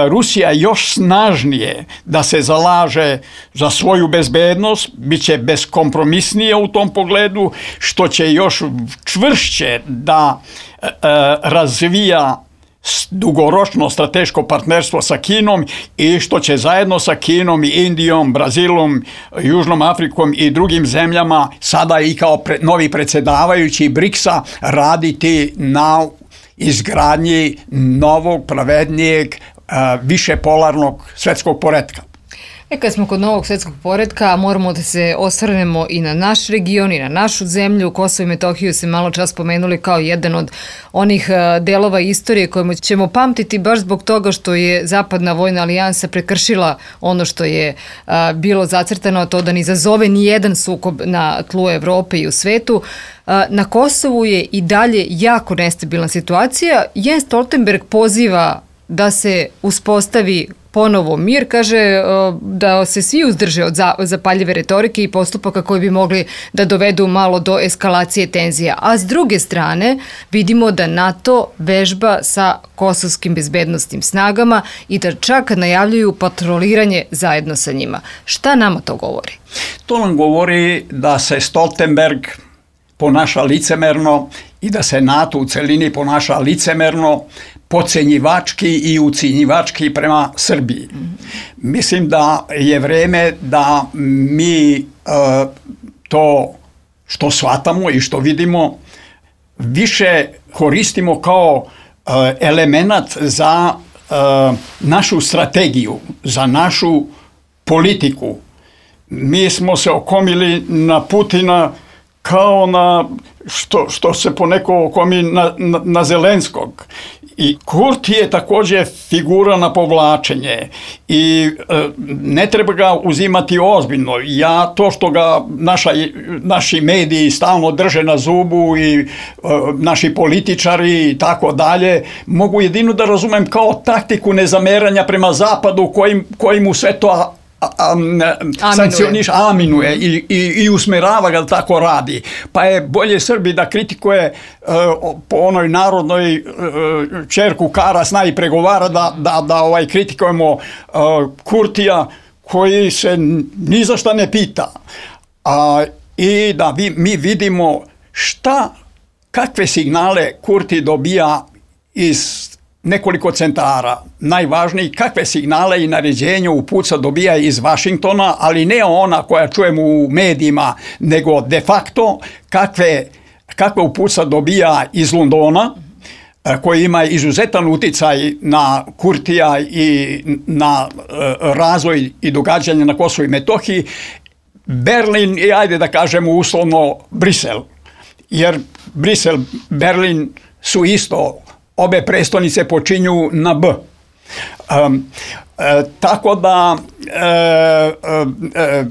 Rusija još snažnije da se zalaže za svoju bezbednost, bit će beskompromisnija u tom pogledu, što će još čvršće da e, razvija dugoročno strateško partnerstvo sa Kinom i što će zajedno sa Kinom i Indijom, Brazilom, Južnom Afrikom i drugim zemljama sada i kao pre, novi predsjedavajući briksa raditi na izgradnji novog, pravednijeg, višepolarnog svetskog poretka.
E, kad smo kod novog svjetskog poretka, moramo da se osvrnemo i na naš region i na našu zemlju. Kosovo i Metohiju se malo čas spomenuli kao jedan od onih delova istorije kojima ćemo pamtiti baš zbog toga što je Zapadna vojna alijansa prekršila ono što je a, bilo zacrtano, to da ne izazove ni jedan sukob na tlu Evrope i u svetu. A, na Kosovu je i dalje jako nestabilna situacija. Jens Stoltenberg poziva da se uspostavi ponovo mir, kaže da se svi uzdrže od zapaljive retorike i postupaka koji bi mogli da dovedu malo do eskalacije tenzija. A s druge strane vidimo da NATO vežba sa kosovskim bezbednostnim snagama i da čak najavljuju patroliranje zajedno sa njima. Šta nama to govori?
To nam govori da se Stoltenberg ponaša licemerno i da se NATO u celini ponaša licemerno, podcenjivački i ucinjivački prema Srbiji. Mislim da je vreme da mi uh, to što shvatamo i što vidimo više koristimo kao uh, element za uh, našu strategiju, za našu politiku. Mi smo se okomili na Putina kao na što, što se poneko okomi na, na, na Zelenskog. I Kurti je također figura na povlačenje i e, ne treba ga uzimati ozbiljno. Ja to što ga naša, naši mediji stalno drže na zubu i e, naši političari i tako dalje, mogu jedino da razumem kao taktiku nezameranja prema zapadu koji, koji mu sve to A, a, sankcioniš, aminuje i, i, i usmerava ga da tako radi. Pa je bolje Srbi da kritikuje uh, po onoj narodnoj uh, čerku kara zna i pregovara da, da, da ovaj, kritikujemo uh, Kurtija koji se ni za šta ne pita. A, i da vi, mi vidimo šta, kakve signale Kurti dobija iz nekoliko centara. Najvažniji, kakve signale i naređenja upuca dobija iz Vašingtona, ali ne ona koja čujemo u medijima, nego de facto kakve, kakve upuca dobija iz Londona, koji ima izuzetan uticaj na Kurtija i na razvoj i događanje na Kosovu i Metohiji, Berlin i ajde da kažemo uslovno Brisel. Jer Brisel, Berlin su isto, obe prestonice počinju na B. Um, e, tako da, e, e,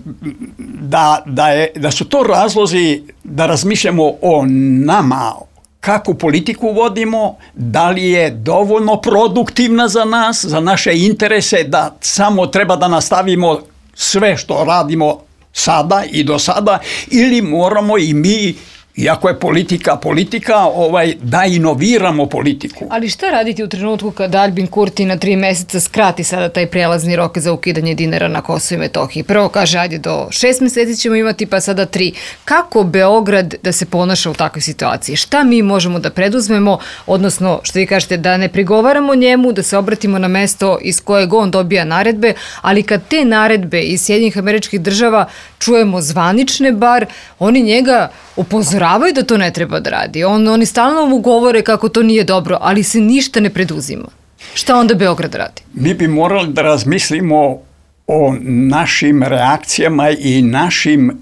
da, da, je, da su to razlozi da razmišljamo o nama, kakvu politiku vodimo, da li je dovoljno produktivna za nas, za naše interese, da samo treba da nastavimo sve što radimo sada i do sada, ili moramo i mi, iako je politika politika, ovaj, da inoviramo politiku.
Ali šta raditi u trenutku kada Albin Kurti na tri meseca skrati sada taj prelazni rok za ukidanje dinara na Kosovu i Metohiji? Prvo kaže, ajde do šest meseci ćemo imati, pa sada tri. Kako Beograd da se ponaša u takvoj situaciji? Šta mi možemo da preduzmemo, odnosno, što vi kažete, da ne prigovaramo njemu, da se obratimo na mesto iz kojeg on dobija naredbe, ali kad te naredbe iz Sjedinjenih Američkih Država čujemo zvanične bar, oni njega upozoravaju da to ne treba da radi. On, oni stalno mu govore kako to nije dobro, ali se ništa ne preduzima. Šta onda Beograd radi?
Mi bi morali da razmislimo o našim reakcijama i našim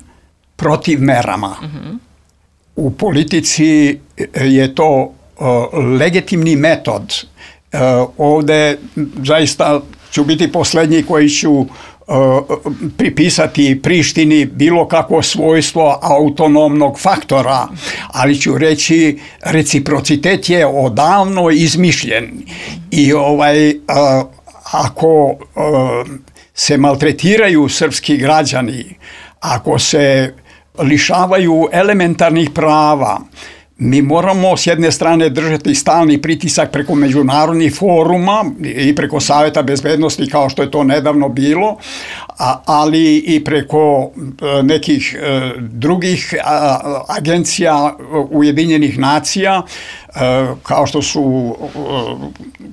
protivmerama. Uh-huh. U politici je to uh, legitimni metod ovde zaista ću biti posljednji koji ću pripisati Prištini bilo kakvo svojstvo autonomnog faktora, ali ću reći reciprocitet je odavno izmišljen i ovaj ako se maltretiraju srpski građani, ako se lišavaju elementarnih prava, mi moramo s jedne strane držati stalni pritisak preko međunarodnih foruma i preko Saveta bezbednosti kao što je to nedavno bilo, ali i preko nekih drugih agencija Ujedinjenih nacija kao što su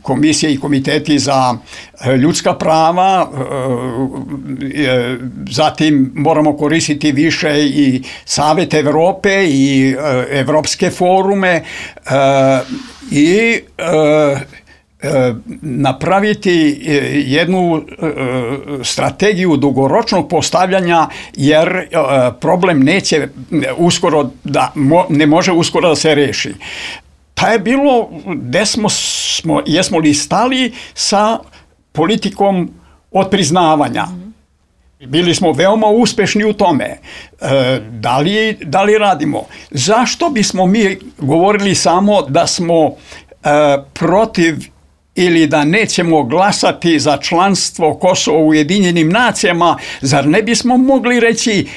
komisije i komiteti za ljudska prava. Zatim moramo koristiti više i Savet Evrope i evropske forume i napraviti jednu strategiju dugoročnog postavljanja, jer problem neće uskoro da, ne može uskoro da se reši. Pa je bilo, gde smo, smo, jesmo li stali sa politikom otpriznavanja? Bili smo veoma uspešni u tome. E, da li, da li radimo? Zašto bismo mi govorili samo da smo e, protiv ili da nećemo glasati za članstvo Kosova u Ujedinjenim nacijama? Zar ne bismo mogli reći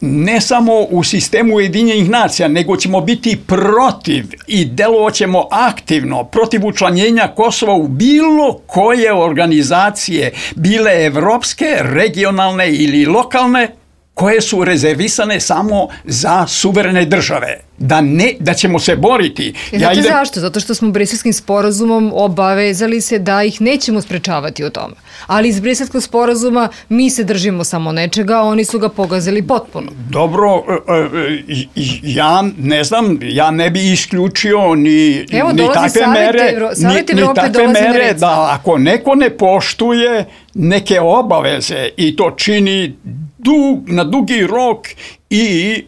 ne samo u sistemu Ujedinjenih nacija, nego ćemo biti protiv i delovaćemo aktivno protiv učlanjenja Kosova u bilo koje organizacije, bile evropske, regionalne ili lokalne, koje su rezervisane samo za suverene države. Da, ne, da ćemo se boriti.
Znate ja idem... zašto? Zato što smo Briselskim sporazumom obavezali se da ih nećemo sprečavati u tome. Ali iz Briselskog sporazuma mi se držimo samo nečega, a oni su ga pogazili potpuno.
Dobro, ja ne znam, ja ne bi isključio ni,
Evo,
ni takve mere,
Evro,
ni, ni takve mere da ako neko ne poštuje neke obaveze i to čini dug, na dugi rok i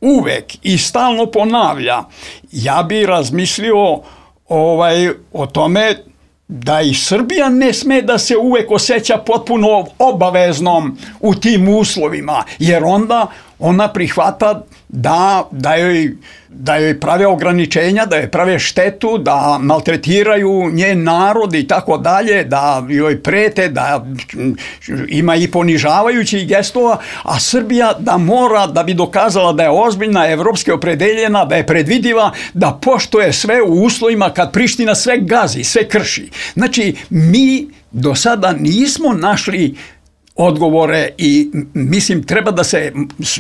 uvek i stalno ponavlja, ja bi razmislio ovaj, o tome da i Srbija ne sme da se uvek osjeća potpuno obaveznom u tim uslovima, jer onda ona prihvata da, da, joj, da joj prave ograničenja, da joj prave štetu, da maltretiraju njen narod i tako dalje, da joj prete, da ima i ponižavajućih gestova, a Srbija da mora, da bi dokazala da je ozbiljna, evropski opredeljena, da je predvidiva, da poštuje sve u uslovima kad Priština sve gazi, sve krši. Znači, mi do sada nismo našli odgovore i mislim treba da se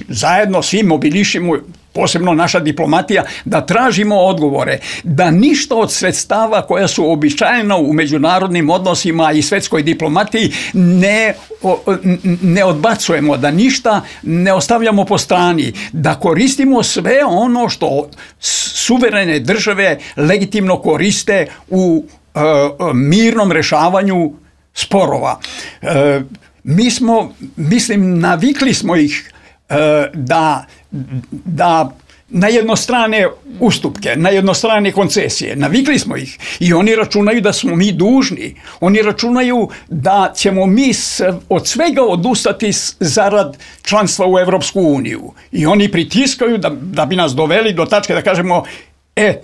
zajedno svi mobilišimo, posebno naša diplomatija, da tražimo odgovore, da ništa od sredstava koja su običajena u međunarodnim odnosima i svetskoj diplomatiji ne, ne odbacujemo, da ništa ne ostavljamo po strani, da koristimo sve ono što suverene države legitimno koriste u uh, mirnom rešavanju sporova. Uh, Mi smo, mislim, navikli smo ih e, da, da na jednostrane ustupke, na jednostrane koncesije. Navikli smo ih i oni računaju da smo mi dužni. Oni računaju da ćemo mi s, od svega odustati zarad članstva u Evropsku uniju. I oni pritiskaju da, da bi nas doveli do tačke da kažemo, e,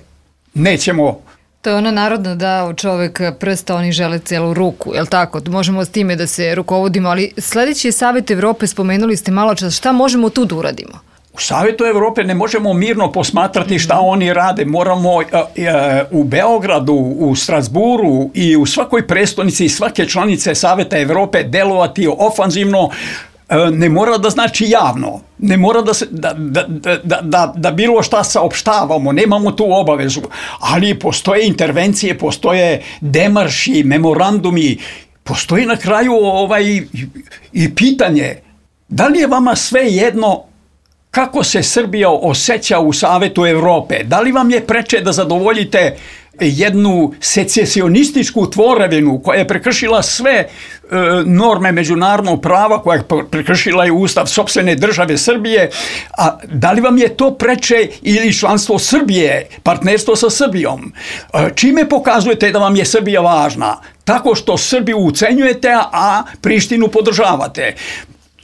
nećemo.
To je ona narodna da u čovek prsta, oni žele celu ruku, je li tako? Možemo s time da se rukovodimo, ali sljedeći je Savet Evrope, spomenuli ste malo čas, šta možemo tu da uradimo?
U Savetu Evrope ne možemo mirno posmatrati šta oni rade, moramo uh, uh, u Beogradu, u Strasburu i u svakoj prestonici svake članice Saveta Evrope delovati ofanzivno. Ne mora da znači javno, ne mora da, se, da, da, da, da, da bilo šta saopštavamo, nemamo tu obavezu, ali postoje intervencije, postoje demarši, memorandumi, postoji na kraju ovaj, i pitanje, da li je vama sve jedno kako se Srbija osjeća u Savetu Evrope, da li vam je preče da zadovoljite jednu secesionističku tvorevinu koja je prekršila sve norme međunarodnog prava koja je prekršila i ustav sopstvene države Srbije, a da li vam je to preče ili članstvo Srbije, partnerstvo sa Srbijom? Čime pokazujete da vam je Srbija važna? Tako što Srbiju ucenjujete, a Prištinu podržavate.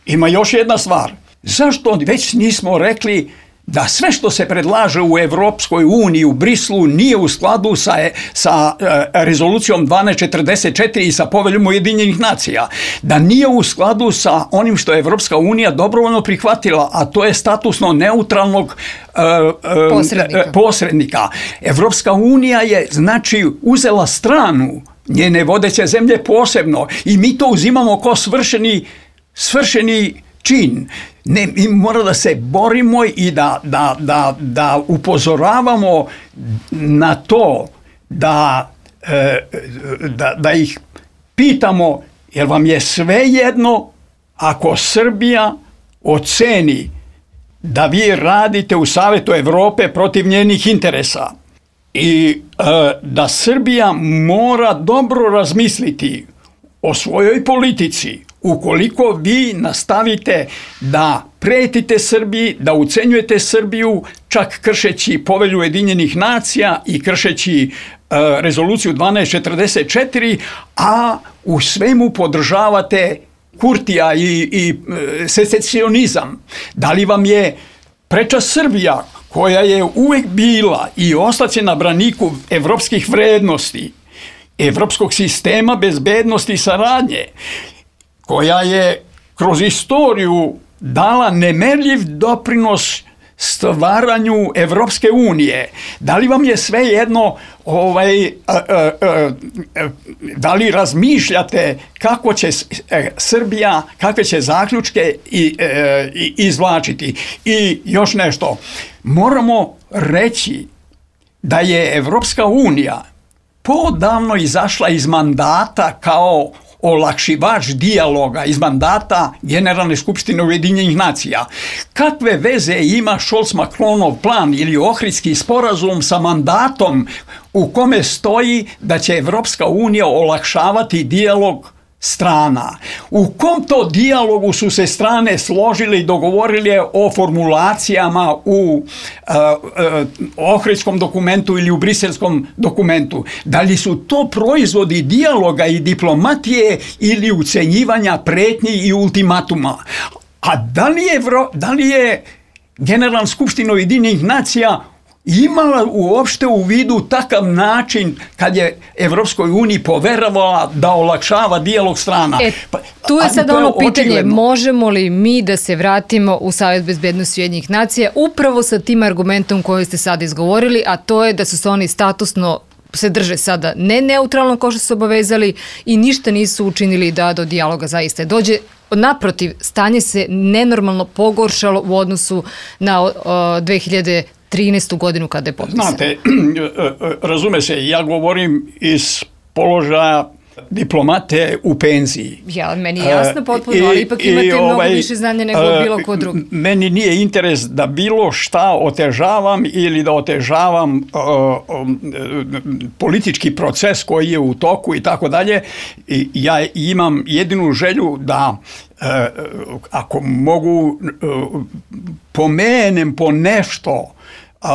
Ima još jedna stvar. Zašto već nismo rekli da sve što se predlaže u Evropskoj uniji, u Brislu, nije u skladu sa, sa uh, rezolucijom dvanaest četrdeset četiri i sa poveljom Ujedinjenih nacija, da nije u skladu sa onim što je Evropska unija dobrovoljno prihvatila, a to je statusno neutralnog uh, uh, posrednika. posrednika. Evropska unija je, znači, uzela stranu, njene vodeće zemlje posebno, i mi to uzimamo kao svršeni, svršeni čin. Ne, mi moramo da se borimo i da, da, da, da upozoravamo na to, da, da, da ih pitamo, jer vam je sve jedno ako Srbija oceni da vi radite u Savetu Evrope protiv njenih interesa i da Srbija mora dobro razmisliti o svojoj politici. Ukoliko vi nastavite da pretite Srbiji, da ucenjujete Srbiju, čak kršeći povelju Ujedinjenih nacija i kršeći uh, rezoluciju dvanaest četrdeset četiri, a u svemu podržavate Kurtija i, i uh, secesionizam, da li vam je preča Srbija, koja je uvek bila i ostaće na braniku evropskih vrednosti, evropskog sistema bezbednosti i saradnje, koja je kroz istoriju dala nemerljiv doprinos stvaranju Evropske unije. Da li vam je sve jedno, ovaj, a, a, a, da li razmišljate kako će Srbija, kakve će zaključke i, e, izvlačiti? I još nešto, moramo reći da je Evropska unija podavno izašla iz mandata kao olakšivač dijaloga, iz mandata Generalne skupštine Ujedinjenih nacija. Kakve veze ima Scholz-Macronov plan ili Ohridski sporazum sa mandatom u kome stoji da će Evropska unija olakšavati dijalog strana? U kom to dijalogu su se strane složile i dogovorile o formulacijama u uh, uh, Ohridskom dokumentu ili u Briselskom dokumentu? Da li su to proizvodi dijaloga i diplomatije ili ucenjivanja, pretnji i ultimatuma? A da li je, da li je Generalna skupština Ujedinjenih nacija imala uopšte u vidu takav način kad je Evropskoj uniji poveravala da olakšava dijalog strana?
E, tu je sad ono pitanje, očigledno. Možemo li mi da se vratimo u Savet bezbednosti Ujedinjenih nacija upravo sa tim argumentom koji ste sad izgovorili, a to je da su se oni statusno se drže sada ne neutralno kao što su obavezali i ništa nisu učinili da do dijaloga zaista dođe. Naprotiv, stanje se nenormalno pogoršalo u odnosu na uh, dve hiljade trinaestu godinu kada je potpisan.
Znate, razume se, ja govorim iz položaja diplomate u penziji.
Ja, meni je jasno potpuno, I, ali ipak imate i, mnogo ovaj, više znanja nego uh, bilo ko drugi.
Meni nije interes da bilo šta otežavam ili da otežavam uh, um, politički proces koji je u toku i tako dalje. Ja imam jedinu želju da uh, ako mogu uh, pomenem po nešto uh,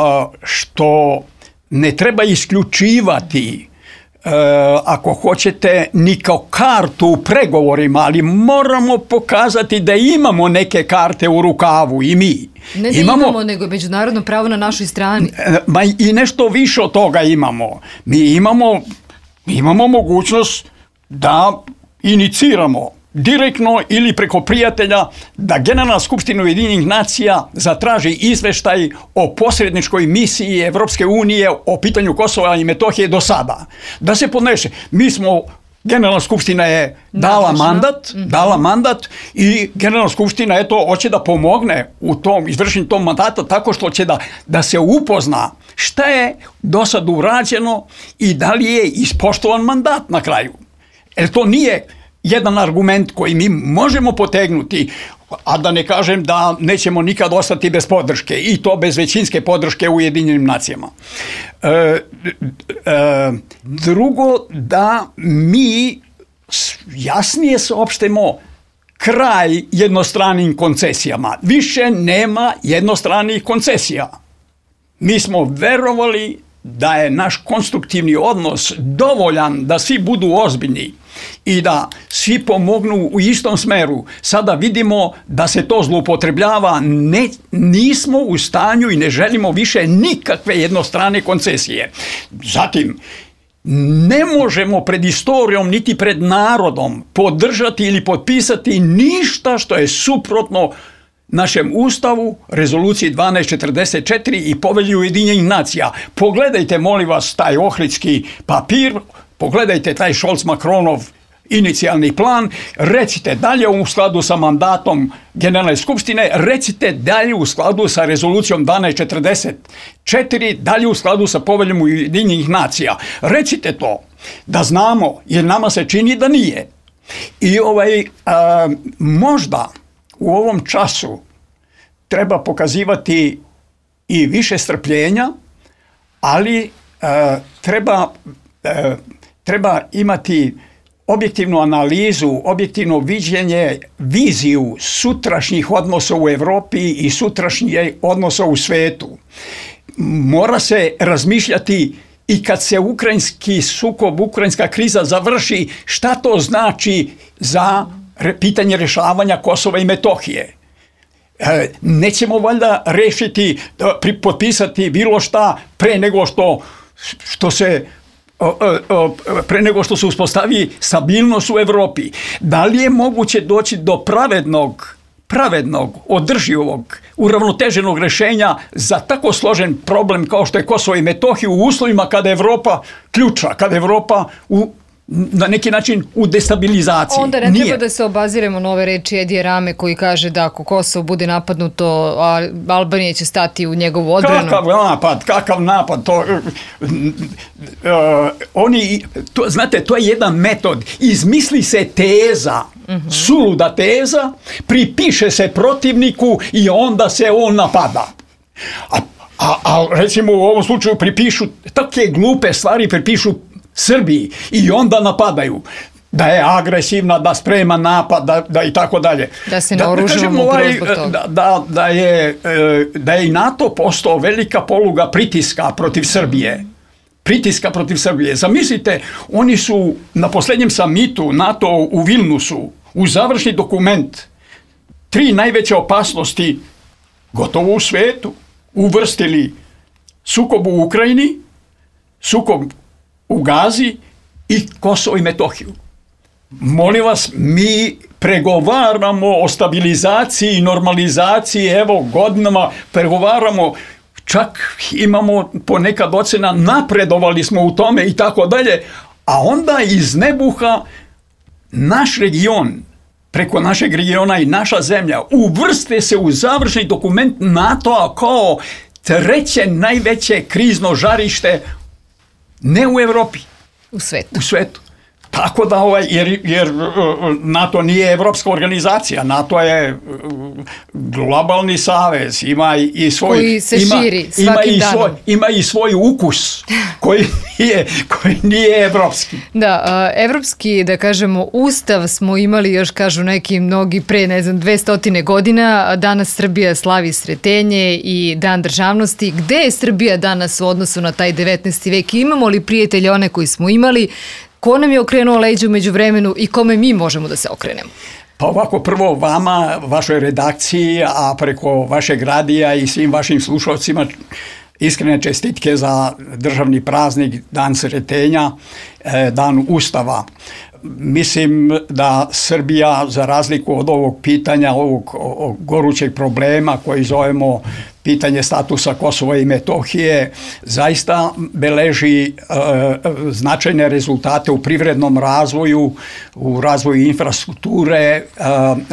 što ne treba isključivati, Uh, ako hoćete, ni kao kartu u pregovorima, ali moramo pokazati da imamo neke karte u rukavu i mi.
Ne da imamo, imamo nego međunarodno pravo na našoj strani.
Ma i nešto više od toga imamo. Mi imamo, mi imamo mogućnost da iniciramo direktno ili preko prijatelja da Generalna skupština Ujedinjenih nacija zatraži izveštaj o posredničkoj misiji Evropske unije o pitanju Kosova i Metohije do sada. Da se podnese. Mi smo, Generalna skupština je dala mandat, mm-hmm. dala mandat i Generalna skupština eto hoće da pomogne u tom izvršenju tog mandata tako što će da, da se upozna šta je do sad urađeno i da li je ispoštovan mandat na kraju. Jer to nije jedan argument koji mi možemo potegnuti, a da ne kažem da nećemo nikad ostati bez podrške i to bez većinske podrške u Ujedinjenim nacijama. E, e, drugo, da mi jasnije saopštemo kraj jednostranim koncesijama. Više nema jednostranih koncesija. Mi smo verovali da je naš konstruktivni odnos dovoljan da svi budu ozbiljni i da svi pomognu u istom smeru. Sada vidimo da se to zloupotrebljava. Ne, nismo u stanju i ne želimo više nikakve jednostrane koncesije. Zatim, ne možemo pred istorijom niti pred narodom podržati ili potpisati ništa što je suprotno našem ustavu, rezoluciji dvanaest četrdeset četiri i povelji Ujedinjenih nacija. Pogledajte, molim vas, taj ohridski papir, pogledajte taj Scholz-Macronov inicijalni plan, recite dalje u skladu sa mandatom Generalne skupštine, recite dalje u skladu sa rezolucijom dvanaest četrdeset četiri, dalje u skladu sa poveljom Ujedinjenih nacija. Recite to, da znamo, jer nama se čini da nije. I ovaj, a, možda u ovom času treba pokazivati i više strpljenja, ali a, treba, a, treba imati objektivnu analizu, objektivno viđenje, viziju sutrašnjih odnosa u Evropi i sutrašnjih odnosa u svetu. Mora se razmišljati i kad se ukrajinski sukob, ukrajinska kriza završi, šta to znači za pitanje rješavanja Kosova i Metohije. Nećemo valjda rešiti, potpisati bilo šta pre nego što, što se pre nego što se uspostavi stabilnost u Evropi. Da li je moguće doći do pravednog, pravednog, održivog, uravnoteženog rešenja za tako složen problem kao što je Kosovo i Metohija u uslovima kada je Evropa ključa, kada je Evropa u na neki način u destabilizaciji.
Onda ne Nije. treba da se obaziremo na ove reči Edija Rame koji kaže da ako Kosovo bude napadnuto, Albanija će stati u njegovu odbranu.
Kakav napad, kakav napad. To, uh, oni, to, znate, to je jedan metod. Izmisli se teza, uh-huh. suluda teza, pripiše se protivniku i onda se on napada. A, a, a recimo u ovom slučaju pripišu, takve glupe stvari pripišu Srbiji i onda napadaju da je agresivna, da sprema napad, da, da i tako dalje.
Da se naoružavamo
ovaj, da, da, da, je, da je i NATO postao velika poluga pritiska protiv Srbije. Pritiska protiv Srbije. Zamislite, oni su na posljednjem samitu NATO u Vilnusu u završni dokument tri najveće opasnosti gotovo u svetu uvrstili sukob u Ukrajini, sukob u Gazi i Kosovo i Metohiju. Molim vas, mi pregovaramo o stabilizaciji i normalizaciji, evo godinama pregovaramo, čak imamo ponekad ocena, napredovali smo u tome i tako dalje, a onda iz nebuha naš region, preko našeg regiona i naša zemlja, uvrste se u završni dokument NATO-a kao treće najveće krizno žarište ne u Evropi.
U svetu.
U svetu. Tako da, ovaj, jer, jer NATO nije evropska organizacija, NATO je globalni savez, ima i svoj...
Koji se
ima,
širi svakim
ima i
danom.
Svoj, ima i svoj ukus koji nije, koji nije evropski.
Da, evropski, da kažemo, ustav smo imali još, kažu neki mnogi, pre, ne znam, dvesta godina. Danas Srbija slavi Sretenje i Dan državnosti. Gde je Srbija danas u odnosu na taj devetnaesti vek? Imamo li prijatelje one koji smo imali? Ko nam je okrenuo leđa umeđu vremenu i kome mi možemo da se okrenemo?
Pa ovako, prvo vama, vašoj redakciji, a preko vašeg radija i svim vašim slušalcima iskrene čestitke za državni praznik, Dan Sretenja, Dan Ustava. Mislim da Srbija, za razliku od ovog pitanja, ovog, ovog gorućeg problema koji zovemo pitanje statusa Kosova i Metohije, zaista beleži e, značajne rezultate u privrednom razvoju, u razvoju infrastrukture. E,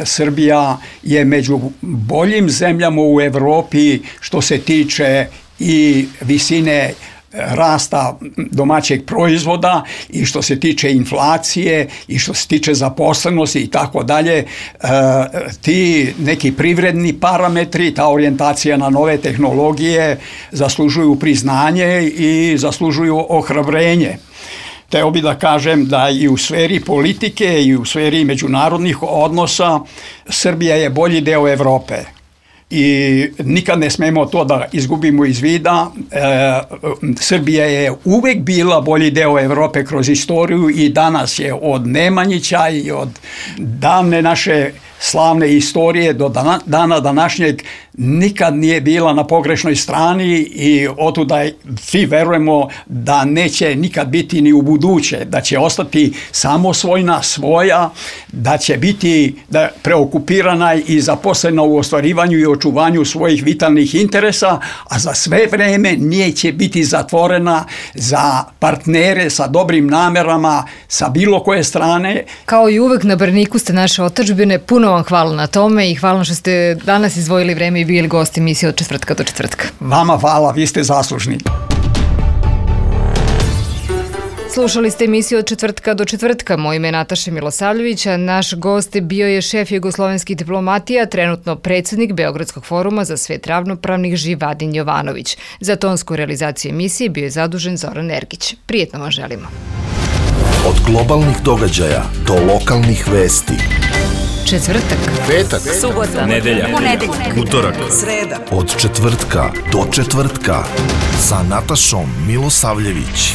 Srbija je među boljim zemljama u Evropi što se tiče i visine rasta domaćeg proizvoda i što se tiče inflacije i što se tiče zaposlenosti i tako dalje. Ti neki privredni parametri, ta orijentacija na nove tehnologije zaslužuju priznanje i zaslužuju ohrabrenje. Teo bi da kažem da i u sferi politike i u sferi međunarodnih odnosa Srbija je bolji deo Evrope. I nikad ne smemo to da izgubimo iz vida. E, Srbija je uvek bila bolji deo Evrope kroz istoriju i danas je od Nemanjića i od davne naše slavne istorije do dana, dana današnjeg nikad nije bila na pogrešnoj strani i otuda svi verujemo da neće nikad biti ni u buduće, da će ostati samosvojna, svoja, da će biti da preokupirana i zaposlena u ostvarivanju i očuvanju svojih vitalnih interesa, a za sve vreme neće biti zatvorena za partnere sa dobrim namerama sa bilo koje strane.
Kao i uvek na braniku ste naše otadžbine, puno vam hvala na tome i hvala što ste danas izdvojili vreme i bili gosti emisije od četvrtka do četvrtka.
Vama hvala, vi ste zaslužni.
Slušali ste emisiju od četvrtka do četvrtka. Moje ime je Nataša Milosavljević, a naš gost bio je šef jugoslovenskih diplomatija, trenutno predsjednik Beogradskog foruma za svet ravnopravnih Živadin Jovanović. Za tonsku realizaciju emisije bio je zadužen Zoran Ergić. Prijetno vam želimo.
Od globalnih događaja do lokalnih vesti.
Četvrtak,
Petak,
subota,
nedelja,
ponedeljak,
utorak,
sreda.
Od četvrtka do četvrtka sa Natašom Milosavljević.